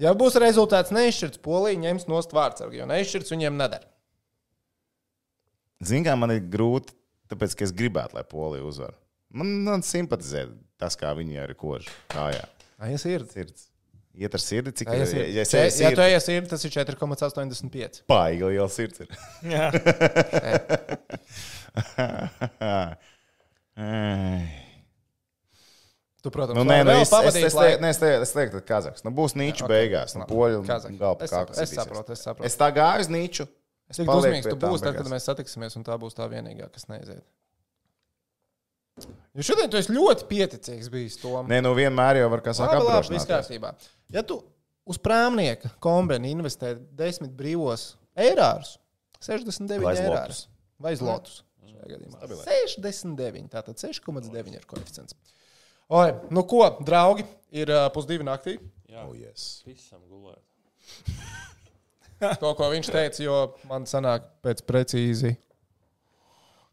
Ja būs rezultāts neizšķirts, Polija ņems nost vārdsargu, jo neizšķirts viņiem nedara. Zini, kā man ir grūti, tāpēc, ka es gribētu, lai Polija uzvar. Man, man simpatizē tas, kā viņi arī kož kājā. Ai, es ir. Sirds. Iet ar sirdi, cik Ja, ir. ja, Ja, es ja, eju ja tu sirdi, esi ir, tas ir četri komats astoņdesmit pieci. Baigi liela sirds ir. Jā. Ai. Tu, protams, Nu, nē, nu, vēl es, es, pavadīsi es, laiku. lieku, nē, es, lieku, es lieku, ka Kazahs. Nu, būs Nīču Ok, beigās. Nu, labi. poļu Kazahs. galva Es kā saprotu, es saprotu, es saprotu. Es tā gāju uz Nīču. Es Cik palieku dusmīgs pie tu tām būsi, tad, kad beigās. mēs satiksimies, un tā būs tā vienīgā, kas neiziet. Jo šodien tu esi ļoti pieticīgs bijis Tom. Nē, nu vienmēr jau var kā saka Labi, labi, viss apdrošināties. kārtībā. Ja tu uz prāmnieka kombini investē desmit brīvos eirārus, sešdesmit deviņi Vai zlotus. eirārus vai zlotus. šajā gadījumā. sešdesmit deviņi, tātad seši komats deviņi ir koeficients. Oi, nu ko, draugi, ir uh, pusdivi naktī. Jā, Oh, yes. visam gulēt. To, ko viņš teica, jo man sanāk pēc precīzi.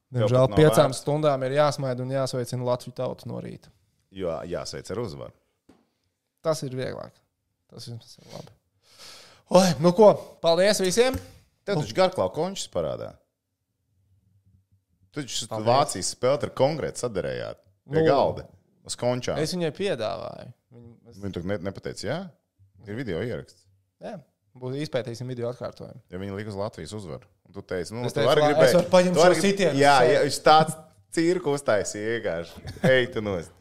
Tev Diemžēl pat nav piecām vērts. stundām ir jāsmaida un jāsveicina Latviju tautu no rīta. Jo jāsveic ar uzvaru. Tas ir vieglāk. Tas ir labi. Oi, nu ko, paldies visiem! Tev taču garklau končus parādā. Tu taču Paldies. Vācijas spēlēt ar konkrēti sadarējāt. Pie Nu. galda. Uz končām. Es viņai piedāvāju. Viņu, es, Viņi tur ne, nepateica, jā? Ir video ieraksts. jā, būs izpētīsim video atkārtojumu. Ja viņi lika uz Latvijas uzvaru. Un tu teici, nu, Es tu teicu, vari la- gribēt. es varu paņemt tu vari savu grib- sitienu uz Jā, sevi. jā, viņš tāds cirku uztaisīja vienkārši. Ej, tu nost.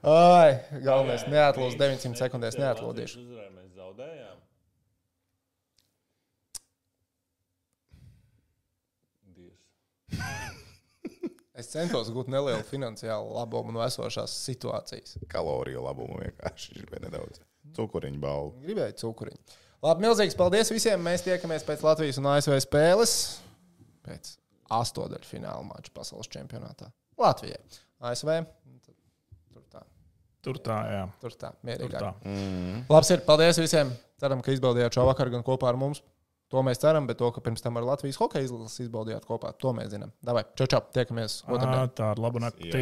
Ai, galvenais, neatlūdz deviņas simtas sekundēs, neatlūdīšu. Uzvarēja, mēs zaudējām. Dievs. Es centos gūt nelielu finansiālu labumu no esošās situācijas. Kaloriju labumu vienkārši ir bija nedaudz. Cukuriņu balvu. Gribēju cukuriņu. Labi, milzīgs paldies visiem. Mēs tiekamies pēc Latvijas un A S V spēles. Pēc astodaļu fināla mača pasaules čempionātā. Latvijai. A S V. Tur tā. Tur tā, jā. Tur tā. Tur Mierīgāk. tā. Labs ir. Paldies visiem. Ceram, ka izbaudījāt šo vakaru gan kopā ar mums. To mēs ceram, bet to, ka pirms tam ar Latvijas hokeja izlases izbaudījāt kopā, to mēs zinām. Davai, čau, čau, tiekamies otrdien. Tā ir laba naktī.